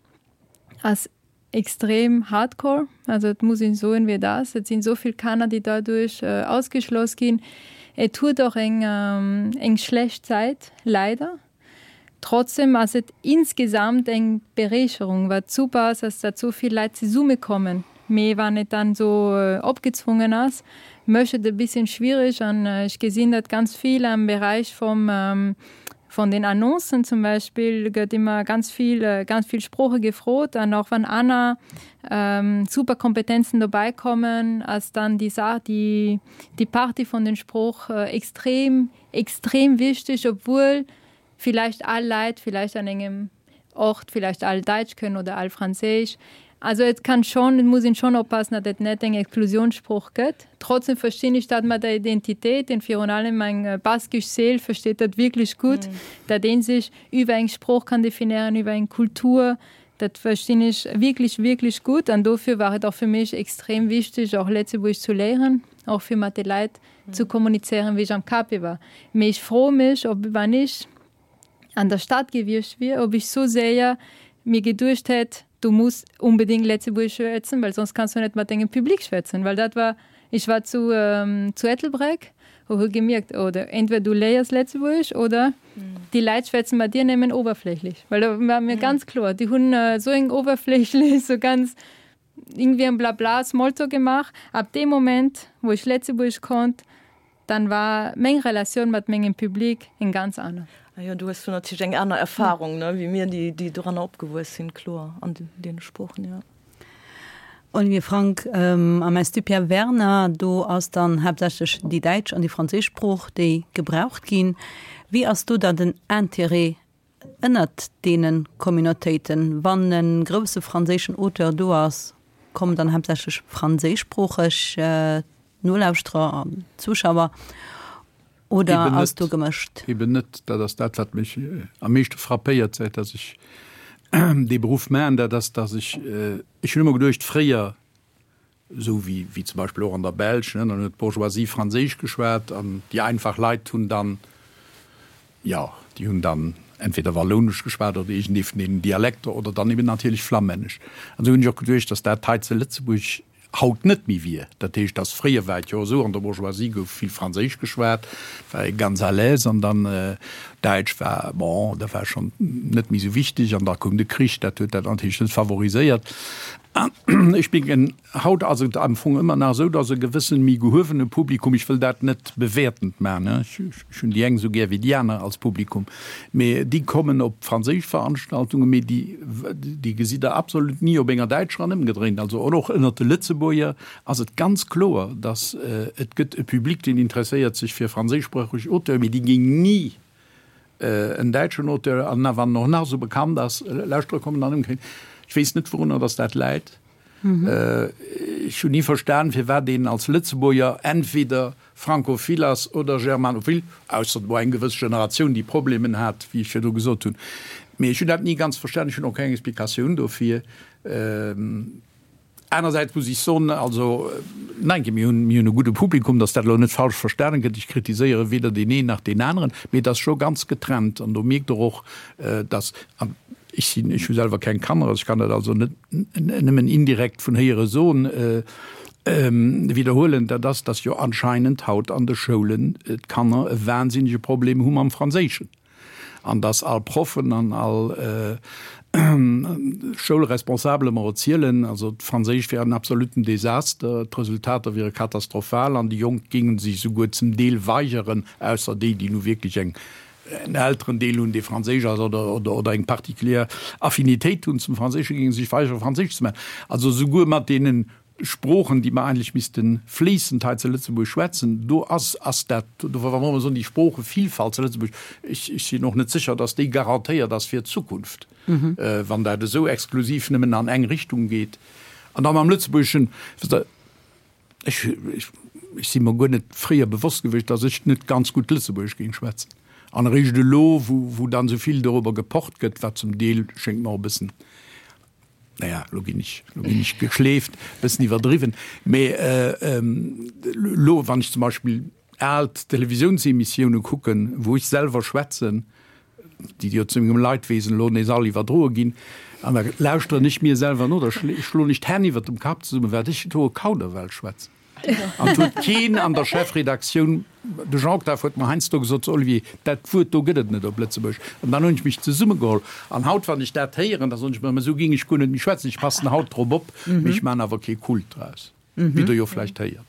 ass extrem hardcore. Also et muss een soen wéi et ass. Et sinn sou vill Kanner, déi daduerch ausgeschloss ginn. Et huet och eng eng schlecht Säit, leider. Trotzdem ass et insgesamt eng Berächerung. Wat super ass, ass datt sou vill Leit zesumme kommen. Mee wann et dann sou opgezwongen ass, mécht et e bisschen schwierig. An ech gesinn dat ganz vill am Beräich vum, von den Annoncen zum Beispill gëtt ëmmer ganz vill, ganz vill Sprooche gefrot. An och wann aner super Kompetenzen dobäi kommen, ass dann déi Saach, déi, déi Partie vun den Sprooch extrem, extrem wichteg, obwuel vielleicht all Leit vielleicht an engem Ort vielleicht all Däitsch kënnen oder all Franséisch. Also et kann schon, et muss een schon oppassen, datt et net eng Exklusiounssprooch gëtt. Trotzdem verstinn ech dat mat der Identitéit, denn virun allem eng baskisch Séil versteet dat wierklech gutt, datt ee sech iwwer eng Sprooch kann definéieren, iwwer eng Kultur. Dat verstinn ech wierklech, wierklech gutt. An dofir war et och fir mech extrem wichteg, och Lëtzebuergesch zu léieren, och fir mat de Leit zu kommunizéieren, wéi ech am Cape war. Mee ech froe mech, ob wann ech an der Stad gewiescht wier, ob ech sou séier mir geduecht hätt, du muss unbedingt Lëtzebuergesch schwätzen, well soss kanns du net mat dengem Public schwätzen. Well dat war, ech war zu zu Ettelbréck a hu gemierkt, oder entweder du léiers Lëtzebuergesch oder déi Leit schwätzen mat dir nëmmen oberflächlech. Well do war mir ganz kloer, déi hunn esou eng oberflächlech, sou ganz irgendwie en Blabla, Smalltalk gemaach. Ab deem Moment, wou ech Lëtzebuergesch konnt, dann war meng Relatioun mat mengem Public eng ganz aner. Ah jo, du hues do natierlech eng aner Erfahrung, ne, wéi mir, déi, déi doranner opgewuess sinn, kloer, an deene Sproochen, jo. Olivier Frank, Am Institut Pierre Werner, do ass dann haaptsächlech déi däitsch an déi franséisch Sprooch, déi gebraucht ginn. Wéi ass do dann den Intérêt ënnert deene Communautéiten? Wann e grousse franséischen Auteur do ass, kommen dann haaptsächlech franséischsproocheg Nolauschterer an Zuschauer oder ass do gemëscht? Eben net. Dat ass dat, wat mech am meeschte frappéiert, säit datt ech dee Beruff maachen, dat ass, datt ech, ech hunn ëmmer geduecht, fréier, esou wéi, wéi zum Beispill och an der Belsch, ne, dann huet d'Bourgeoisie Franséisch geschwat an déi einfach Leit hunn dann, jo, déi hunn dann entweder Wallounesch geschwat oder iergendee vun deenen Dialekter oder dann eben natierlech Flammännesch. An esou hunn ech och geduecht, datt dat hei zu Lëtzebuerg haut net méi wier. Dat heescht, datt fréier war et jo esou, an der Bourgeoisie gouf vill Franséisch geschwat, war ee ganz à l'aise an dann Däitsch war, bon, dat war schonn net méi esou wichteg an da koum de Krich, dat huet dat natierlech net favoriséiert. An ech mengen, haut ass et am Fong ëmmer nach esou, dass e gewëssen méi gehuewene Publikum, ech wëll dat net bewäertend maachen, ech hunn déi eng esou gär wéi déi aner als Publikum, mee déi kommen op franséisch Veranstaltungen, mee déi, déi gesitt Der absolut ni op enger däitscher an ëmgedréint. Also och ënnert de Lëtzebuerger ass et ganz kloer, dass et gëtt e Public, deen interesséiert sech fir franséischsproocheg Auteuren, mee déi géing ni en däitschen Auteur, an wann en och nach esou bekannt ass, lauschtere kommen an ëmgedréint. Ech weess net, wourunner dass dat läit. Ech hunn ni verstan, firwat een als Lëtzebuerger entweder francophil ass oder germanophil, ausser et wor eng gewëss Generatioun, déi Problemen hat, wéi ech virdu gesot hunn. Mee ech hunn dat ni ganz verstan, ech hunn och keng Explikatioun dofir. Anersäits muss ech soen, also nein, mir hunn, mir hunn e gudde Publikum, dass dat elo net falsch verstanen gëtt, ech kritiséiere weder deen een nach deen aneren, mee et ass scho ganz getrennt an do mierkt Der och, dass, an ech sinn, ech hu selwer keng Kanner, ech kann dat also net nëmmen indirekt vun héiere soen, widderhuelen, dat ass, dass jo anscheinend haut an de Schoulen d'Kanner e wahnsinnege Problem hu mam Franséischen. An dass all Proffen an all Schoulresponsabele mer erzielen, also d'Franséisch wär en absoluten Desaster, d'Resultater wiere katastrophal an déi Jonk géinge sech souguer zum Deel weigeren, ausser déi, déi nu wierklech eng, en Elterendeel hunn, dee Franséisch ass oder, oder, oder eng particulière Affinitéit hunn zum Franséischen, géinge sech weigeren, Franséisch ze maachen. Also souguer mat deenen Sproochen, déi mer eigentlech misste fléissend hei zu Lëtzebuerg schwätzen, do ass, ass dat, do wa mer soen, déi Sproochevillfalt zu Lëtzebuerg, ech, ech sinn och net sécher, datt déi garantéiert ass fir d'Zukunft, wann dat esou exklusiv nëmmen an eng Richtung geet. An da mam Lëtzebuergeschen, wësst Der, ech, ech, ech si mer guer net fréier bewosst gewiescht, datt ech net ganz gutt Lëtzebuergesch géing schwätzen. An eréischt elo, wou, wou dann esou vill dorobber gepocht gëtt, wat zum Deel, schéngt mer, och e bëssen, naja, lo ginn ech, lo ginn ech geschleeft, bëssen iwwerdriwwen, mee lo, wann ech zum Beispill al Televisiounsemissioune kucken, wou ech selwer schwätzen, déi jo zu mengem Leidwesen elo nees all iwwerdroe ginn, an da lauschteren ech mir selwer no, da schloen ech d'Hänn iwwert dem Kapp zesummen, wat ech do e Kauderwelsch schwätzen. An et huet keen an der Chefredaktioun, de Jean Octave huet mer heiansdo gesot, So Olivier, dat Wuert do gëtt et net op Lëtzebuergesch. An dann hunn ech mech zesummegeholl. An haut, wann ech dat héieren, da soen ech mer, mä esou géing ech guer net méi schwätzen. Ech passen haut drop op, mee ech maachen awer kee Kult draus, wéi Der jo vläicht héiert.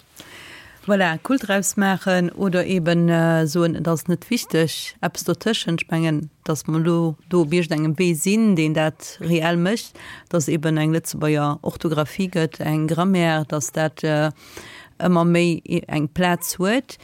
Voilà, Kult draus maachen oder eben soen, et ass net wichteg, eppes dotëschent. Ech mengen, datt mer elo do op iergendengem Wee sinn, deen dat reell mécht, datt eben eng Lëtzebuerger Orthografie gëtt, eng Grammaire, datt dat ëmmer méi eng Plaz huet.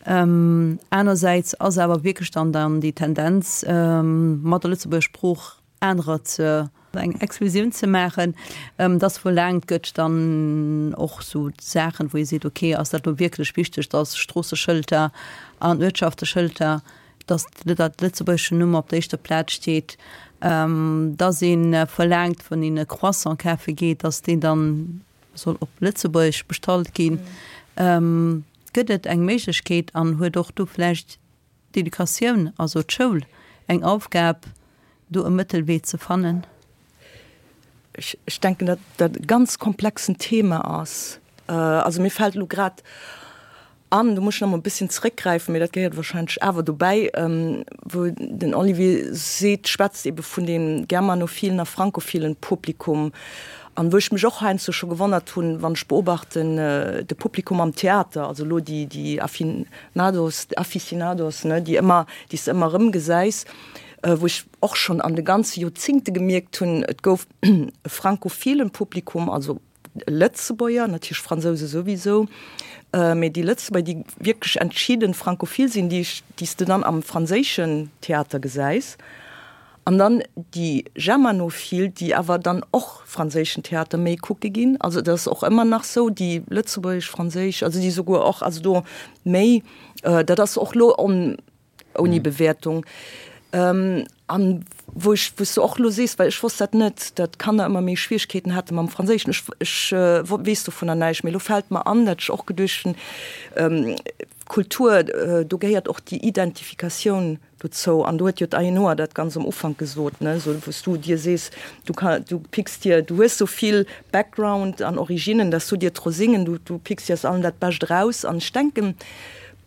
Anersäits ass awer wierklech dann dann déi Tendenz, mat der Lëtzebuerger Sprooch anerer ze eng Exklusioun ze maachen, dass verlaangt gëtt dann och sou Saachen, wou ee seet, okay, ass dat elo wierklech wichteg, dass Stroosseschëlter an Uertschafteschëlter, dass dat lëtzebuergeschen Numm op der éischter Plaz steet, dass ee verlaangt, wann een e Croissant kafe geet, dass deen dann soll op Lëtzebuergesch bestallt ginn. Gëtt et eng Méiglechkeet an huet och do vläicht d'Educatioun, also d'Schoul, eng Aufgab, do e Mëttelwee ze fannen? Ech, ech denken, datt dat e ganz komplexen Thema ass. Also mir fält elo grad an, do muss ech nach emol e bësschen zrëckgräifen, mee dat gehéiert wahrscheinlech awer dobäi, wou den Olivier seet, schwätzt ebe vun deem germanophilen a francophilen Publikum. An wou ech mech och heiansdo scho gewonnert hunn, wann ech beobachten, de Publikum am Theater, also elo déi, déi Affinados, Aficionados, ne, déi ëmmer, déi s de ëmmer erëm gesäis, wou ech och schonn an de ganze Joerzingte gemierkt hunn, et gouf e francophilen Publikum, also Lëtzebuerger, natierlech Fransouse souwisou, mee déi Lëtzebuerger, déi wierklech entschidden francophil sinn, déi ech, déi s de dann am franséischen Theater gesäis, an dann déi Germanophil, déi awer dann och franséischen Theater méi kucke ginn. Also dat ass och ëmmer nach sou, déi lëtzebuergesch-franséisch, also déi souguer och, also do méi, dat ass och lo on, Ouni Bewäertung. An wou ech, wou s de och elo sees, well ech wosst dat net, datt d'Kanner ëmmer méi Schwierigkeeten hate mam Franséischen. Ech, ech weess dovunner näischt, mee elo fält mer an, dat ech och geduecht hunn, Kultur, do gehéiert och déi Identifikatioun dozou. An do huet jo d'Ainhoa dat ganz am Ufank gesot, ne, esou wou s du dir sees, du ka, du picks dir, du hues esou vill Background an Originen, datt s du dir d'Rosingen, du, du picks dir aus allem dat Bescht eraus. An ech denken,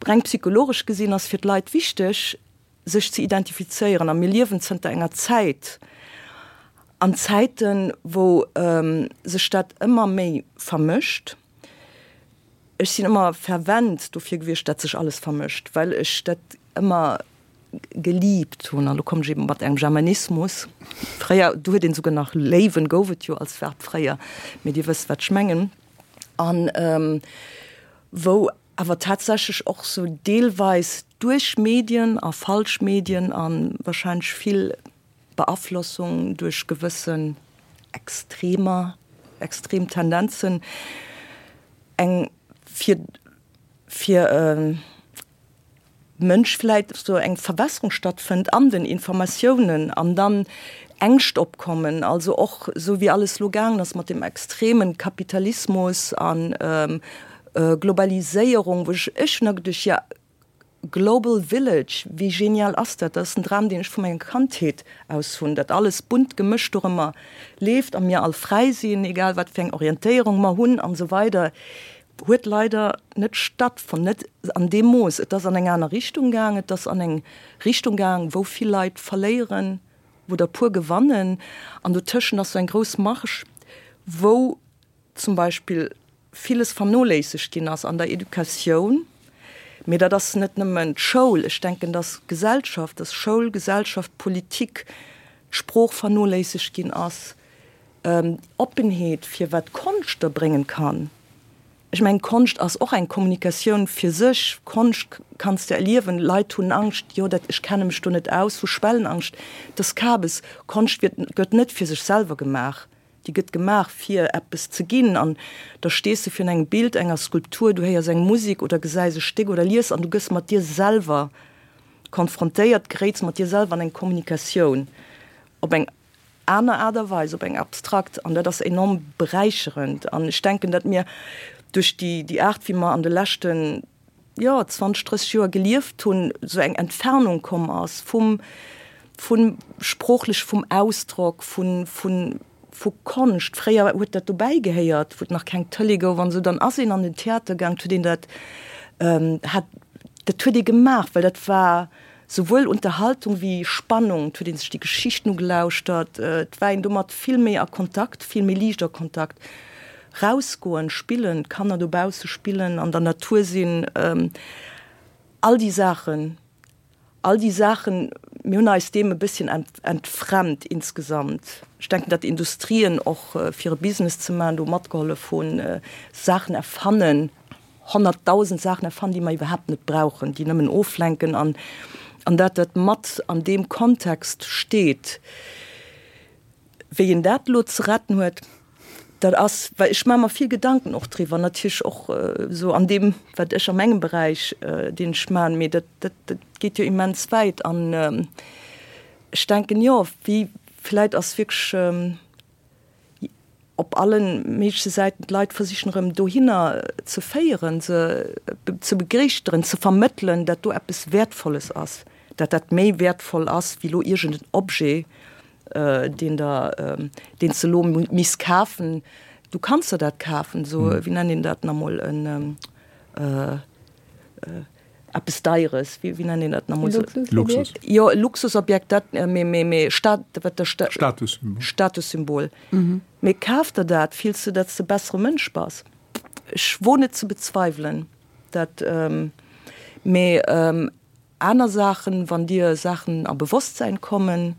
Reng psychologesch gesinn ass fir d'Leit wichteg, sech ze identifizéieren. A mir liewen zënter enger Zäit An Zäiten, wou sech dat ëmmer méi vermëscht, ech sinn ëmmer fervent dofir gewiescht, dat sech alles vermëscht, well ech dat ëmmer geliebt hunn, an elo kommen ech eben mat engem Germanismus, fréier, do huet een souguer nach léiwen, gouf et jo als Verb fréier, mee Dir wësst, wat ech mengen, an wou awer tatsächlech och sou deelweis duerch Medien a falsch Medien a wahrscheinlech vill Beaflossung duerch gewëssen Extremer, extrem Tendenzen eng fir fir e Mënsch vläit sou eng Verwässerung stattfënnt an den Informatiounen an dann Ängscht opkommen, also och sou wéi alles lo gaangen ass mat dem extremen Kapitalismus an Globaliséierung, wou ech ech hunn da geduecht, jo Global Village, wéi genial ass dat? Dat ass en Dram, deen ech vu menger Kandheet aus hunn, dat alles bunt gemëscht dorëmmer leeft a mir all fräi sinn, egal wat fir eng Orientéierung mer hunn an esou weider, huet leider net stattfonnt, net an deem Mooss. Et ass an eng aner Richtung gaang, et ass an eng Richtung gaang, wou vill Leit verléieren, wou der puer gewannen an dotëschent ass sou eng grouss Marge, wou zum Beispill villes vernoléissegt ginn ass an der Educatioun, mee dat ass net nëmmen d'Schoul, ech denken, dass Gesellschaft, dass Schoul, Gesellschaft, Politik, d'Sprooch vernoléissegt ginn ass, Oppenheet fir wat Konscht der bréngen kann. Ech mengen, Konscht ass och eng Kommunikatioun fir sech. Konscht kanns de erliewen. Leit hunn Angscht, jo dat, ech kenne mech do net aus, hu Schwellenangscht. Dat ass Kabes. Konscht wiert, gëtt net fir sech selwer gemaach. Déi gëtt gemaach fir eppes ze ginn. An da stees de virun engem Bild, enger Skulptur, du héiers eng Musek oder gesäis e Stéck oder lies an du gëss mat dir selwer konfrontéiert, geréits mat dir selwer an eng Kommunikatioun op eng aner Aart a Weis, op eng abstrakt, an dat ass enorm beräicherend. An ech denken, datt mir duerch déi, déi Aart, wéi mer an de leschten, jo, zwanzeg, drësseg Joer gelieft hunn, esou eng Entfernung komm ass vum, vun sproochlech, vum Ausdrock, vun, vun, vu Konscht. Fréier huet dat dobäi gehéiert, wou et nach keng Tëlee gouf an esou, dann ass een an den Theater gaang, et huet een dat, hat, dat huet ee gemaach, well dat war, Souwuel Unterhaltung wéi Spannung, et huet ee sech déi Geschichten ugelauschtert, et war een domat vill méi a Kontakt, vill méi liicht a Kontakt. Rausgoen, spillen, d'Kanner dobausse spillen, an der Natur sinn, all déi Saachen, all déi Saachen, mir hunn eis deem e bësschen entfremmt insgesamt. Ech denken, datt Industrien och, fir e Business ze maachen, do matgehollef hunn, Saachen erfannen, honnertdausend Saachen erfannen, déi mer iwwerhaapt net brauchen, déi nëmmen oflenken an an dat dat mat an deem Kontext steet. Wéi een dat elo ze retten huet, dat ass, well ech maache mer vill Gedanken och driwwer, natierlech och esou an deem, wat ech a mengem Beräich, deen ech maachen, mee dat dat dat geet jo immens wäit an ech denken, jo, wéi vläit ass wierklech, op alle méigleche Säiten d'Leit versichen erëm dohinner ze féieren, se ze begréischteren, ze vermëttelen, dat do eppes Wäertvolles ass, dat dat méi wäertvoll ass wéi elo iergend en Objet, deen der, deen s de elo misst kafen. Du kanns der dat kafen, esou, wéi nennt een dat nach emol, en, Eppes Deieres, wéi nennt een dat nach emol? Luxus. Jo, e Luxusobjekt, dat, mee, mee, mee Stat, wat der Sta-. Statussymbol. Statussymbol. Mee kaf der dat, fills de, datt s de e bessere Mënsch bass? Ech woen et ze bezweiwelen, dat, mee aner Saachen, wann dir Saachen a Bewosstsäin kommen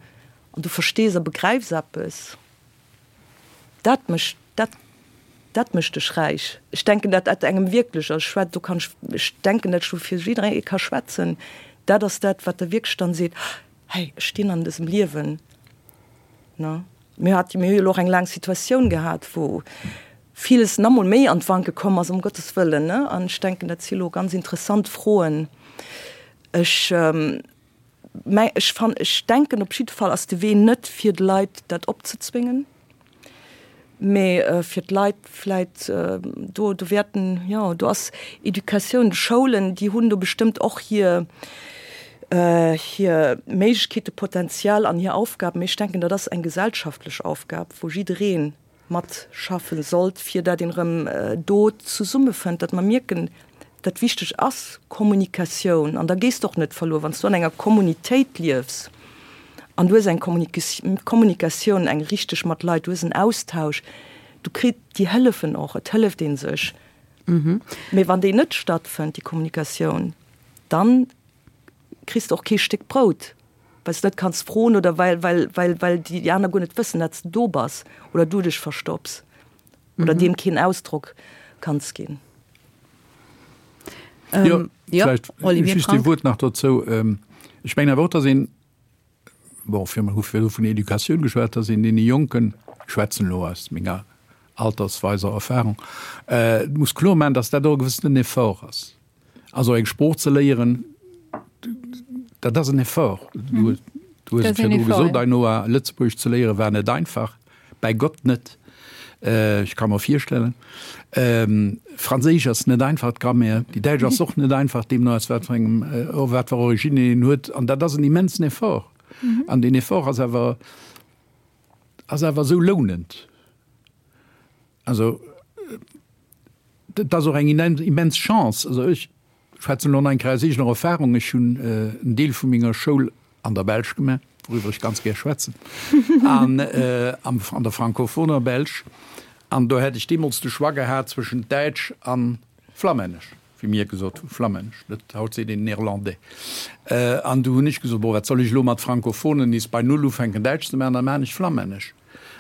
an du verstees a begräifs eppes, Dat mécht, dat, dat mécht dech räich. Ech denken, dat dat engem wierklech, also ech schwät, do kann ech, ech denken, dat ech do fir jidderee ka schwätzen, dat ass dat, wat der wierklech dann seet, Hey, ech stinn an dësem Liewen, ne? Mir hat, mir hu jo elo och eng laang Situatioun gehat, wou villes nach emol méi an d'Wanke komm ass, ëm Gottes wëllen, ne? An ech denken, dat si elo ganz interessant Froen. Ech. Mä ech fan, ech denken, op jidde Fall ass de Wee net fir de Leit dat opzezwéngen, mä fir d'Leit vläit do, do wäerten, jo, do ass Educatioun, d'Schoulen, déi hunn do bestëmmt och hir, hir Méiglechkeete, Potenzial an hir Aufgab. Mä ech denken, dat ass eng gesellschaftlech Aufgab, wou jidderee matschaffe sollt, fir dat een erëm do zesummefënnt, datt mer mierken, dat wichteg ass Kommunikatioun. An da gees de och net verluer, wann s du an enger Kommunitéit liefs An du hues eng Kommunikatioun, eng richteg mat Leit, du hues en Austausch, du kritt, déi hëllefen och, et hëlleft ee sech. Mee wann déi net stattfënnt, déi Kommunikatioun, dann kriss de och kee Stéck Brout, well s de net kanns froen oder well, well, well, well déi aner guer net wëssen, datt s de do bass oder du dech verstopps oder deem keen Ausdrock kanns ginn. Jo, vläicht just ee Wuert nach dozou. Ech mengen awer och, datt een, bon, fir mer hu virdru vun Educatioun geschwat, datt een deene Jonken, ech schwätzen elo aus menger altersweiser Erfahrung, muss kloer maachen, datt dat och e gewëssenen Effort ass. Also eng Sprooch ze léieren, dat ass en Effort. Du hues et virdru gesot, Ainhoa, Lëtzebuergesch ze léiere war net einfach, bäi Gott net. Ech ka mer virstellen. Franséisch ass net einfach, d'Grammaire. Déi Däitsch ass och net einfach, deemno aus wat fir engem, wat fir Origine een huet. An dat ass en immensen Effort. An deen Effort ass awer, ass awer esou lounend. Also, dat ass och eng immens Chance. Also ech schwätzen elo nach eng Kéier aus eegener Erfahrung. Ech hunn en Deel vu menger Schoul an der Belsch gemaach, wouriwwer ech ganz gär schwätzen, an an der francophoner Belsch. An do hätt ech deemools de Choix gehat zwëschent Däitsch a Flammännesch, wéi mir gesot hu Flammännesch, net, haut seet een Néerlandais. An du hunn ech gesot, bon, wat soll ech elo mat Francophonen nees bei Null ufänken Däitsch ze maachen, da maachen ech Flammännesch.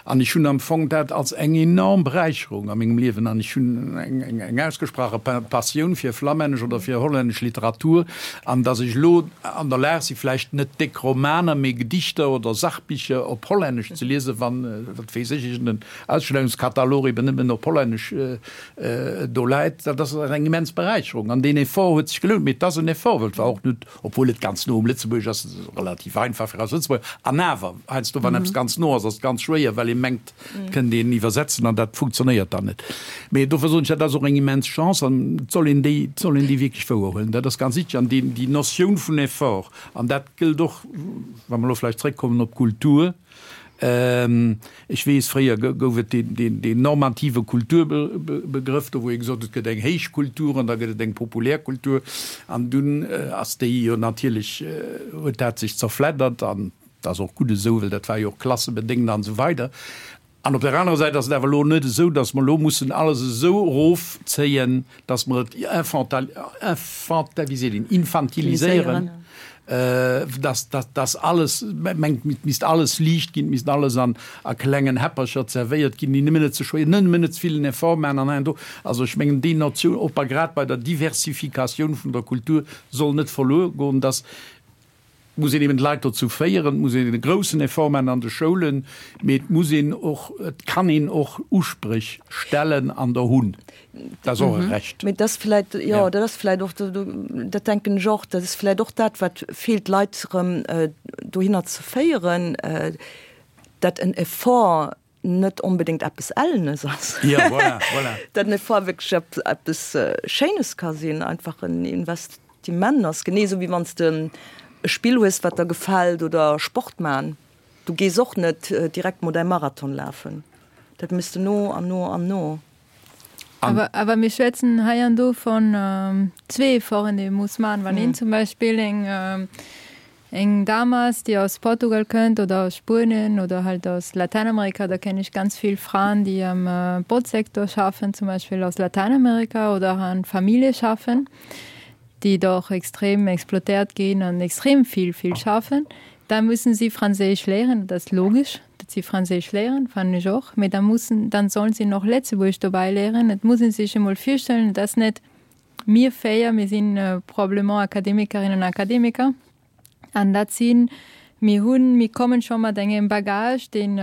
An ech hunn am Fong dat als eng enorm Beräicherung a mengem Liewen an ech hunn eng ausgesprache Passioun fir flammännesch oder fir hollännesch Literatur an datt ech elo an der Lag si vläicht net déck Romaner, mee Gedichter oder Sachbicher op Hollännesch ze liesen, wann, wat weess ech, iergend en Ausstellungskatalog eben nëmmen op Hollännesch do läit. Dat ass eng immens Beräicherung an deen Effort huet sech gelount. Mee et ass en Effort, well et war och net, obwuel et ganz no um Lëtzebuergesch ass, relativ einfach fir eis Lëtzebuerger. An awer, heiansdo wann eppes ganz no ass, ass et ganz schwéier, well ee mengt, et kënnt een iwwersetzen an dat funktionéiert dann net. Mee dofir soen ech, dat ass och eng immens Chance an et soll een déi, et soll een déi wierklech wouerhuelen. Dat ass ganz wichteg. An déi, déi Notioun vun Effort, an dat gëllt och, wa mer elo vläicht zréckkommen op d'Kultur, Ech weess, fréier gouf et deen normative Kulturbegrëff, do wou ee gesot huet, et gëtt eng héich Kultur an da gëtt et eng populär Kultur. An dunn ass déi jo natierlech, huet dat sech zerfleddert an dat ass och gutt esou, well dat war jo och klassebedéngt an esou weider. An op der anerer Säit ass et awer elo net esou, datt mer elo mussen alles esou erofzéien, datt mer et infantiliséieren, datt datt alles mengt, et misst alles liicht ginn, et misst alles an a klengen Häppercher zerwéiert ginn, déi nëmmen net ze schwéier, nëmmen net ze vill en Effort maachen an hei an do. Also ech mengen, déi Notioun, och bei grad bei der Diversifikatioun vun der Kultur, soll net verluer goen, datt Et muss een eben d'Leit dozou féieren, et muss een e groussen Effort maachen an de Schoulen, mee et muss een och, et kann een och Uspréch stellen an der hunn. Dat ass och e Recht. Mee dat ass vläicht, jo, dat ass vläicht och, dat denken ech och, dat ass vläicht och dat, wat feelt, d'Leit erëm dohinner ze féieren, dat en Effort net onbedéngt eppes Ellenes ass. Ja, voilà, voilà. Dat en Effort wierklech eppes Schéines ka sinn, einfach en Investiment ass, genee esou wéi wann s de e Spill hues, wat der gefält oder Sport man. Du gees och net direkt mol däi Marathon lafen, dat méchs de no an no an no. Awer, awer mir schwätzen hei an do von zwee Efforten, déi ee muss man. Wann een zum Beispill eng Eng Dame ass, déi aus Portugal kënnt oder aus Spuenien oder halt aus Latäinamerika, da kenne ech ganz vill Fraen, déi am Botzsektor schaffen, zum Beispill aus Latäinamerika oder an Famillje schaffen, déi doch extrem exploitéiert ginn an extrem vill, vill schaffen. Da mussen si Franséisch léieren, dat ass logesch, datt si Franséisch léieren, fannen ech och, mee da mussen, dann sollen si nach Lëtzebuergesch dobäi léieren. Et muss ee sech emol virstellen, et ass net mir véier, mir sinn probablement Akademikerinnen an Akademiker, An dat sinn, mir hunn, mir kommen scho mat engem Bagage, deen,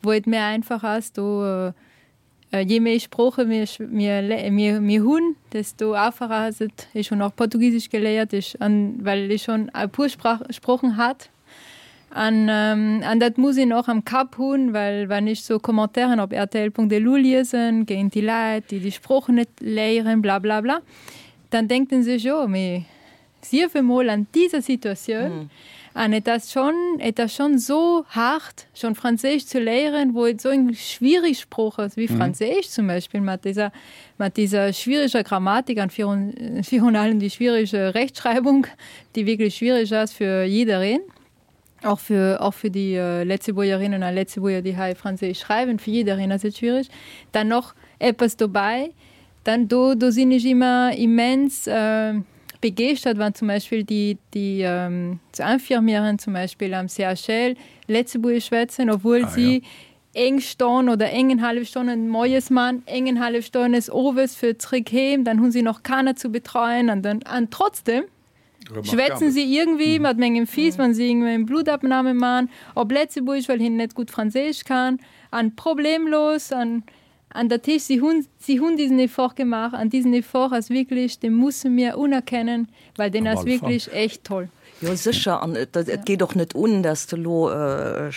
wou et méi einfach ass, do, je méi Sprooche mir, mir, mir, mir hunn, desto einfacher ass et. Ech hunn och Portugisesch geléiert, ech, an well ech schonn e puer Sprach, Sproochen hat. An, an dat muss een och am Kapp hunn, well wann ech sou Commentairen op rtl.lu liesen géint déi Läit, déi déi Sproochen net léieren, blablabla, dann denkt en sech, jo, mee Sief emol an dieser Situatioun, an et ass schonn, et ass schonn esou haart, schonn Franséisch ze léieren, wou et esou eng schwierig Sprooch ass wéi Franséisch zum Beispill, mat dieser, mat dieser schwieriger Grammatik an virun, virun allem déi schwierige Rechtschreibung, déi wierklech schwierig ass fir jiddereen. Och fir, och fir déi Lëtzebuergerinnen a Lëtzebuerger, déi hei Franséisch schreiwen, fir jiddereen ass et schwierig. Dann nach eppes dobäi, dann do, do sinn ech ëmmer immens begeeschtert, wann zum Beispill déi, déi Infirmieren zum Beispill am C H L Lëtzebuergesch schwätzen, obwuel ah, si ja. eng Stonn oder engenhallef Stonnen moies man, engenhallef Stonn owes fir zréck heem, dann hunn si nach Kanner ze betreien an dann an trotzdem schwätzen si iergendwéi mhm. mat mengem Fils, mhm. wann si iergendwéi eng Bluttabnahme man, op Lëtzebuergesch, well hien net gutt Franséisch kann, an problemlos an an dat heescht, si hunn si hunn diesen Effort gemaach an diesen Effort ass wierklech, dee musse mir unerkennen, well deen ass wierklech echt toll. Jo sécher an et, et geet och net un, dass de lo äh,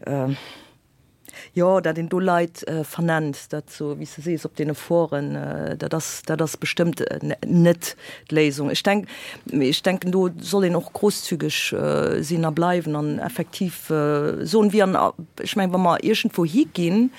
äh, jo dat een do Leit äh, vernennt, dat sou wéi s de sees op deene Foren äh, dat ass dat ass bestëmmt äh, net d'Léisung. Ech denk ech denken do soll een och grousszügeg äh, sinn a bleiwen an effektiv äh, soen wéi an ech mengen wa mer iergendwou higinn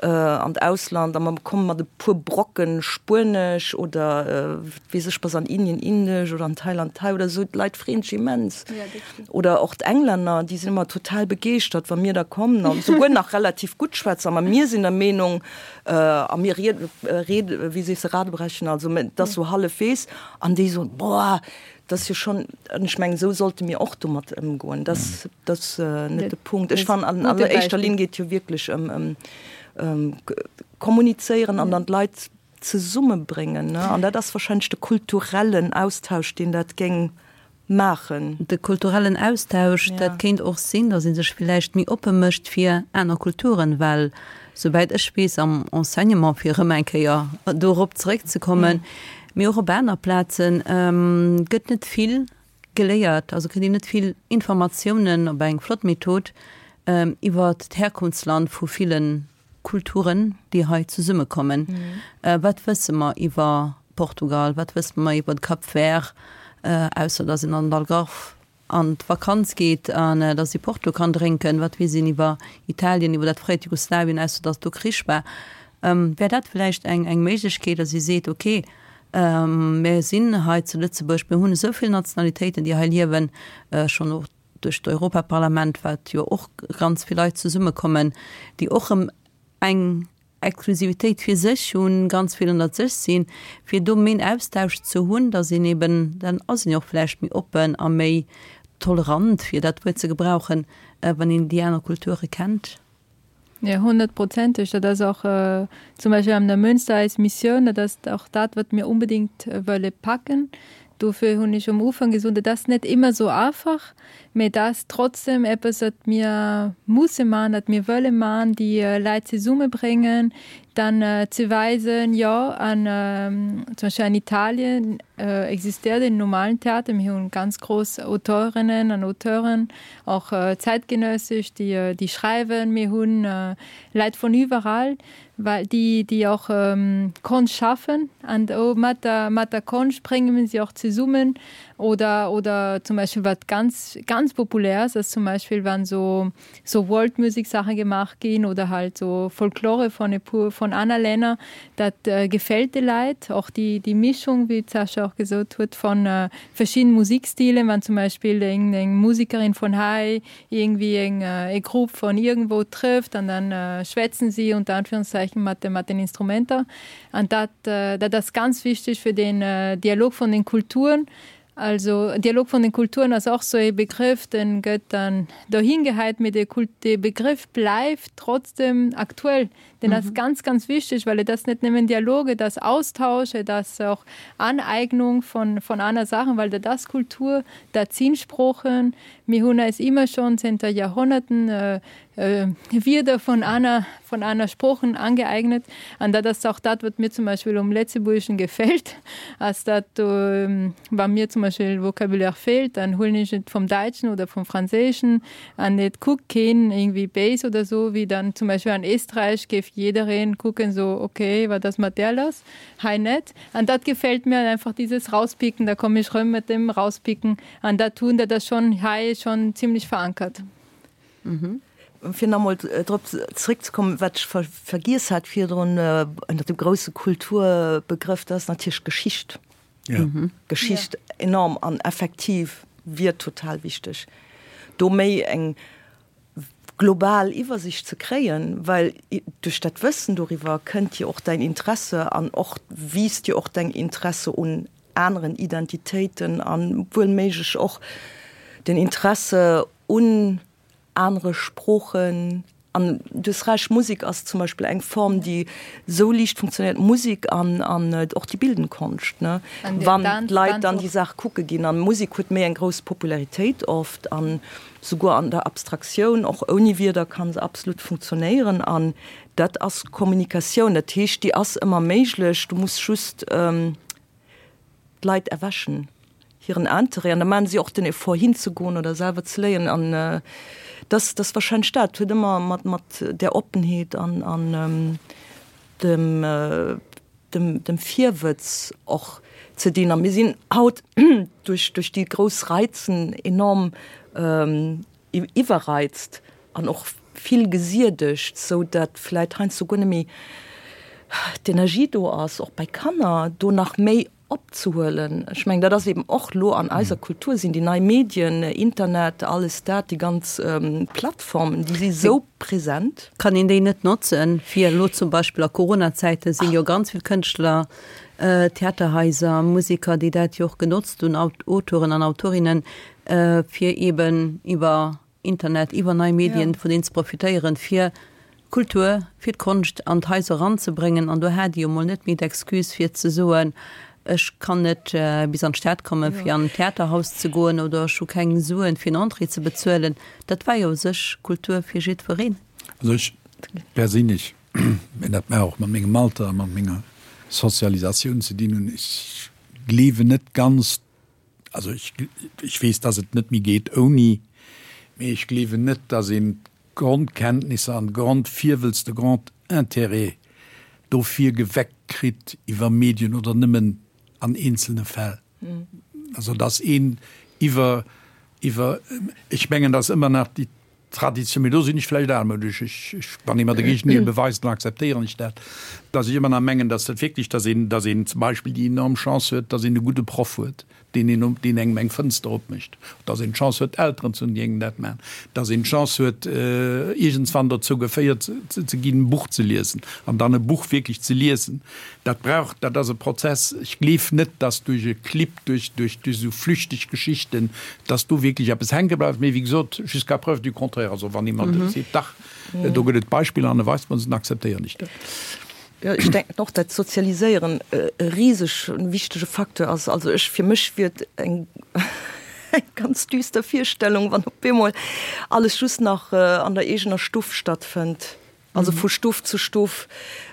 äh, an d'Ausland a mer komme mat e puer Brocken Spuenesch oder äh, weess ech was an Indien Indesch oder an Thailand Thai oder sou d'Leit freeën sech immens. Ja, oder och d'Englänner déi sinn ëmmer total begeeschtert wa mir da kommen an souguer nach relativ gutt schwätzen awer mir sinn der Meenung äh, a mir ried, ried, wéi sees de radebrechen also dat sou hallefwegs an déi sou boah dat ass jo schonn an ech mengen sou sollte mir och domat ëmgoen dat dat ass äh, net de Punkt ech fannen an alleréischter Linn geet jo wierklech ëm ëm ähm, kommunizéieren an dann d'Leit zesummebréngen ne an dat ass warscheinlech de kulturellen Austausch deen dat géing maachen. De kulturellen Austausch ja. Dat kéint och sinn, datt ee sech villäicht méi oppe mécht fir aner Kulturen, well souwäit ech weess am Enseignement fir erëm eng Kéier dorop zeréckzekommen, mee och op aner Plazen ähm, gëtt net vill geléiert, also kritt een net vill Informatiounen op eng flott Method ähm, iwwer d'Herkunftsland vu villen Kulturen, déi hei zesummekommen. Mhm. Äh, wat wësse mer iwwer Portugal, wat wësse mer iwwer Cap Vert, äh, ausser datt een an d'Algarve an d'Vakanz geet an äh, datt ee Porto kann drénken, wat weess een iwwer Italien, iwwer dat fréiert Jugoslawien, ausser datt do Krich war. Ähm, wär dat vläicht eng, eng Méiglechkeet, datt ee seet, okay, ähm, mir sinn hei zu Lëtzebuerg, mir hunn esou vill Nationalitéiten, déi hei liewen, äh, schonn och duerch d'Europaparlament, wat jo och ganz vill Leit zesummekommen, déi och eng Exklusivitéit fir sech hunn, ganz vill ënnert sech sinn, fir do méi en Austausch ze hunn, datt een eben, dann ass een jo och vläicht méi oppen a méi tolerant, fir dat Wuert ze gebrauchen, wann een déi aner Kulture kennt. Ja, honnertprozenteg. Dat ass och äh, zum Beispill an der Münster eis Missioun, dat ass och dat, wat mir unbedingt äh, wëlle packen. Dofir hunn ech um Ufank gesot, dat ass net ëmmer sou einfach, mee dat ass trotzdem eppes, wat mir musse maachen, wat mir wëlle maachen, déi äh, Leit zesummebréngen, dann äh, ze weisen, jo, an ähm, zum Beispill an Italien äh, existéiert den normalen Theater, mir hunn ganz grouss Auteurinnen an Auteuren, och äh, zäitgenëssesch, déi, äh, déi schreiwen, mir hunn äh, Leit vun iwwerall, well déi, déi och ähm, Konscht schafen an och mat der, mat der Konscht brénge mir si och zesummen oder, oder zum Beispill wat ganz, ganz populär ass, ass zum Beispill wann sou, sou World Music Saache gemaach ginn oder halt sou Folklore vun e puer vun aner Länner, dat äh, gefält de Leit, och déi, déi Mischung, wéi d'Sascha och gesot huet, vun äh, verschiddene Musikstilen, wann zum Beispill eng, eng Musekerin vun hei iergendwéi eng, äh, eng Grupp vun iergendwou trëfft an dann äh, schwätzen si unter Anführungszeichen mat, mat den Instrumenter an dat, äh, dat ass ganz wichteg fir den äh, Dialog vun den Kulturen. Also Dialog vun den Kulturen ass och sou e Begrëff, dee gëtt dann dohin geheit, mee de Kult de Begrëff bleift trotzdem aktuell. Deen mhm. ass ganz ganz wichteg, well et ass net nëmmen Dialog, et ass Austausch, et ass och Aneignung vun vun aner Saachen, well dat ass Kultur, dat sinn Sproochen. Mir hunn eis ëmmer schonn zënter Joerhonnerten äh, äh, Wierder vun aner vun aner Sproochen angeeignet. An dat ass och dat, wat mir zum Beispill um Lëtzebuergeschen gefält, ass dat ähm, wa mir zum Beispill Vocabulaire feelt, dann huelen ech et vum Däitschen oder vum Franséischen an et kuckt keen iergendwéi béis oder sou, wéi dann zum Beispill an Éisträich géif jiddereen kucken sou, okay, wat ass mat där lass? Hei net. An dat gefält mir einfach dieses Rauspicken, da komme ech rëm mat dem Rauspicken an dat hunn dat ass schonn hei schonn zimlech verankert. Mhm. Fir nach emol drop zréckzekommen, wat ech ver vergiess hat virdrun äh, ënner dem grousse Kulturbegrëff, dat ass natierlech Geschicht. Ja. Mhm. Geschicht ja. enorm an effektiv wier total wichteg. do méi eng global Iwwersicht ze kréien, well duerch dat Wëssen doriwwer kënnt jo och däin Interesse an och wiisst jo och däin Interesse un aneren Identitéiten an wuel méiglech och den Interesse un anere Sproochen. An du hues Recht, Musek ass zum Beispill eng Form, déi esou liicht funktionéiert, Musek an an och déi bildend Konscht, ne, wann d'Leit dann déi Saach kucke ginn. An Musek huet méi eng grouss Popularitéit oft an souguer an der Abstraktioun, och ouni Wierder ka se absolut funktionéieren. An dat ass Kommunikatioun, dat heescht, déi ass ëmmer méiglech, du muss just d'Leit erwächen, hiren Interêt, an da maachen si och den Effort hinzegoen oder selwer ze léieren. An dat ass warscheinlech dat, huet ëmmer mat mat där Oppenheet an an dem dem dem Virwëtz och ze dinn. A mir sinn haut duerch duerch déi grouss Reizen enorm iwwerreizt an och vill gesiedegt, sou datt vläit heiansdo guer net méi d'Energie do ass, och bei Kanner do nach méi opzehuelen. Ech mengen, dat ass eben och elo an eiser Kultur sinn déi nei Medien, Internet, alles dat, déi ganz Plattformen, déi si sou present. Kann een déi net notzen, fir elo zum Beispill a Coronazäite sinn jo ganz vill Kënschtler, Theaterhaiser, Museker, déi dat jo och genotzt hunn, Auteuren an Autorinnen, fir eben iwwer Internet, iwwer nei Medien vun deenen ze profitéieren, fir d'Kultur, fir d'Konscht an d'Haiser eranzebréngen. An do hat Dir jo mol net méi d'Excuse fir ze soen, ech kann net bis an d'Stad kommen, fir an d'Theaterhaus ze goen oder ech hu keng Suen, fir en Entrée ze bezuelen. Dat war jo u sech Kultur fir jiddwereen. Also ech perséinlech, mä dat mag och mat mengem Alter a mat menger Sozialisatioun ze dinn hunn, ech gleewen net ganz, also ech, ech weess, dass et net méi geet ouni, mee ech gleewen net, dass een d'Grondkenntnisser an d'Grondvirwëlz, de Grondintérêt dofir geweckt kritt iwwer Medien oder nëmmen an eenzelne Fäll. Also dass een iwwer, iwwer, ech mengen, dass ëmmer nach déi Tradition, mee do sinn ech vläicht almoudesch, ech, ech, wann ee mer de Géigendeel beweist, dann akzeptéieren ech dat, dass ech ëmmer nach mengen, dass dat wierklech, dass een, dass een zum Beispill déi enorm Chance huet, dass een e gudde Proff huet, deen een, deen engem eng Fënster opmécht, dass een d'Chance huet, Elteren ze hunn, déi engem dat maachen, dass een d'Chance huet, iergendswann dozou geféiert ze ginn, e Buch ze liesen an dann e Buch wierklech ze liesen. Dat brauch, dat ass e Prozess. Ech gleef net, dass duerch e Clip, duerch, duerch, duerch esou flüchteg Geschichten, dass do wierklech eppes hänke bleift. Mee wéi gesot, jusqu'à preuve du contraire, also wann ee mer seet, dach, do gëtt et Beispiller an e weist mer se, dann akzeptéieren ech dat. Jo, ech denken och, dat Sozialiséieren e riseg wichtege Facteur ass. Also ech, fir mech wier et eng ganz düster Virstellung, wann op eemol alles just nach an der eegener Stuff stattfënnt. Also vu Stuff zu Stuff,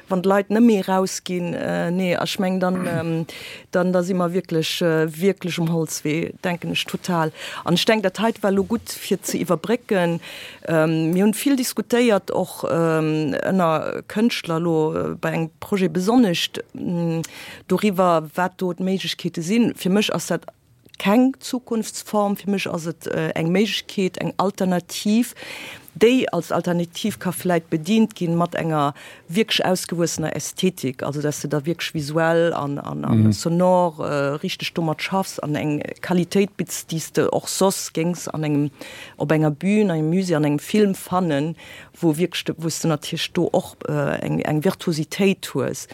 wann d'Leit net méi erausginn. Nee, ech mengen, dann, dann da si mer wierklech, wierklech um Holzwee, denken ech total. An ech denken, dat heite war elo gutt fir ze iwwerbrécken. Mir hunn vill diskutéiert, och ënner Kënschtler elo bei engem Projet besonnesch, doriwwer, wat do d'Méiglechkeete sinn. Fir mech ass dat keng Zukunftsform. Fir mech ass et eng Méiglechkeet, eng Alternativ, déi als Alternativ ka vläit bedient ginn mat enger wierklech ausgewuessener Ästhetik, also dass de da wierklech visuell an an sonor richteg domat schaffs an eng Qualitéit bitts, déi s de och soss géings an engem, op enger Bühn, an engem Musée, an engem Film fannen, wou wierklech, wou s de natierlech do och eng eng Virtuositéit hues.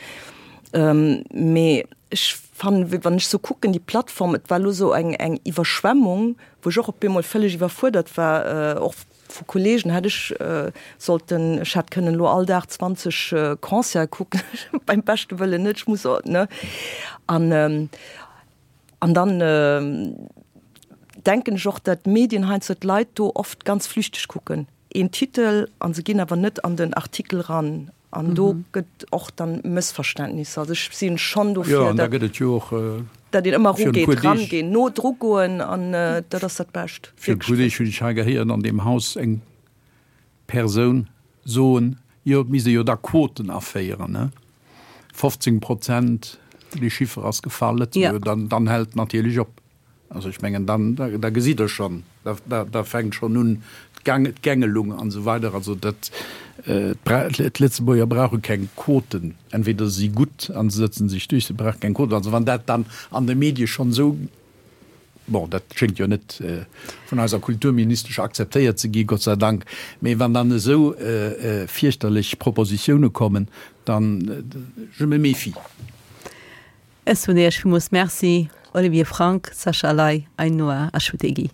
Mee ech fannen, wann ech sou kucken, déi Plattform, et war elo sou eng eng Iwwerschwemmung, wou ech och op eemol vëlleg iwwerfuerdert war, och vu Kollegen hätt ech sollten, ech hätt kënnen elo all Dag zwanzeg Concerte kucken, beim beschte Wëllen net, ech muss och, ne? An an dann denken ech och, datt d'Medien heiansdo d'Leit do oft ganz flüchteg kucken, een Titel, a se ginn awer net an den Artikel ran. An do gëtt och dann Mëssverständnisser. Also ech sinn schonn dofir, Jo, an da gëtt et jo och datt een ëmmer virun e erugeet, puer Deeg, rangeen, no dru goen an dat ass dat Bescht. Virun e puer Deeg hunn ech hei gehéieren an deem Haus eng Persoun soen, jo, et misst ee jo da Quoten aféieren, ne, fofzéng Prozent, dee Chiffer ass gefall, Lëtzebuerger, dann, dann hält et natierlech op. Also ech mengen, dann, da gesitt Der schonn, da, da fänkt schonn un d'Gängelung an esou weider. Also dat, d'Lëtzebuerger brauche keng Quoten. Entweder se si gutt a se sëtze sech duerch, se brauche keng Quoten. Also wann dat dann an de Medie schonn esou Bon, dat schéngt jo net vun eiser Kulturministesch akzeptéiert ze gi, Gott sei Dank, mee wann dann esou fierchterlech Propositioune kommen, dann, je me méfie. Ech soen Iech villmools Merci, Olivier Frank, Sascha Ley, Ainhoa Achutegui.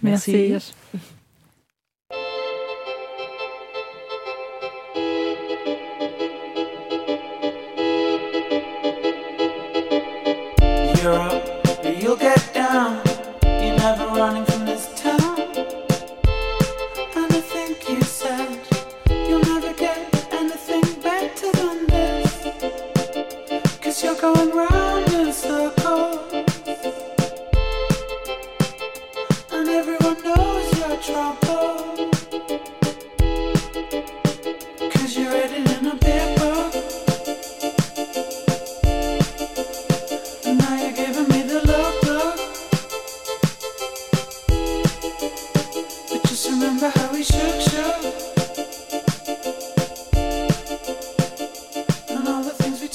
Merci Iech. Trouble.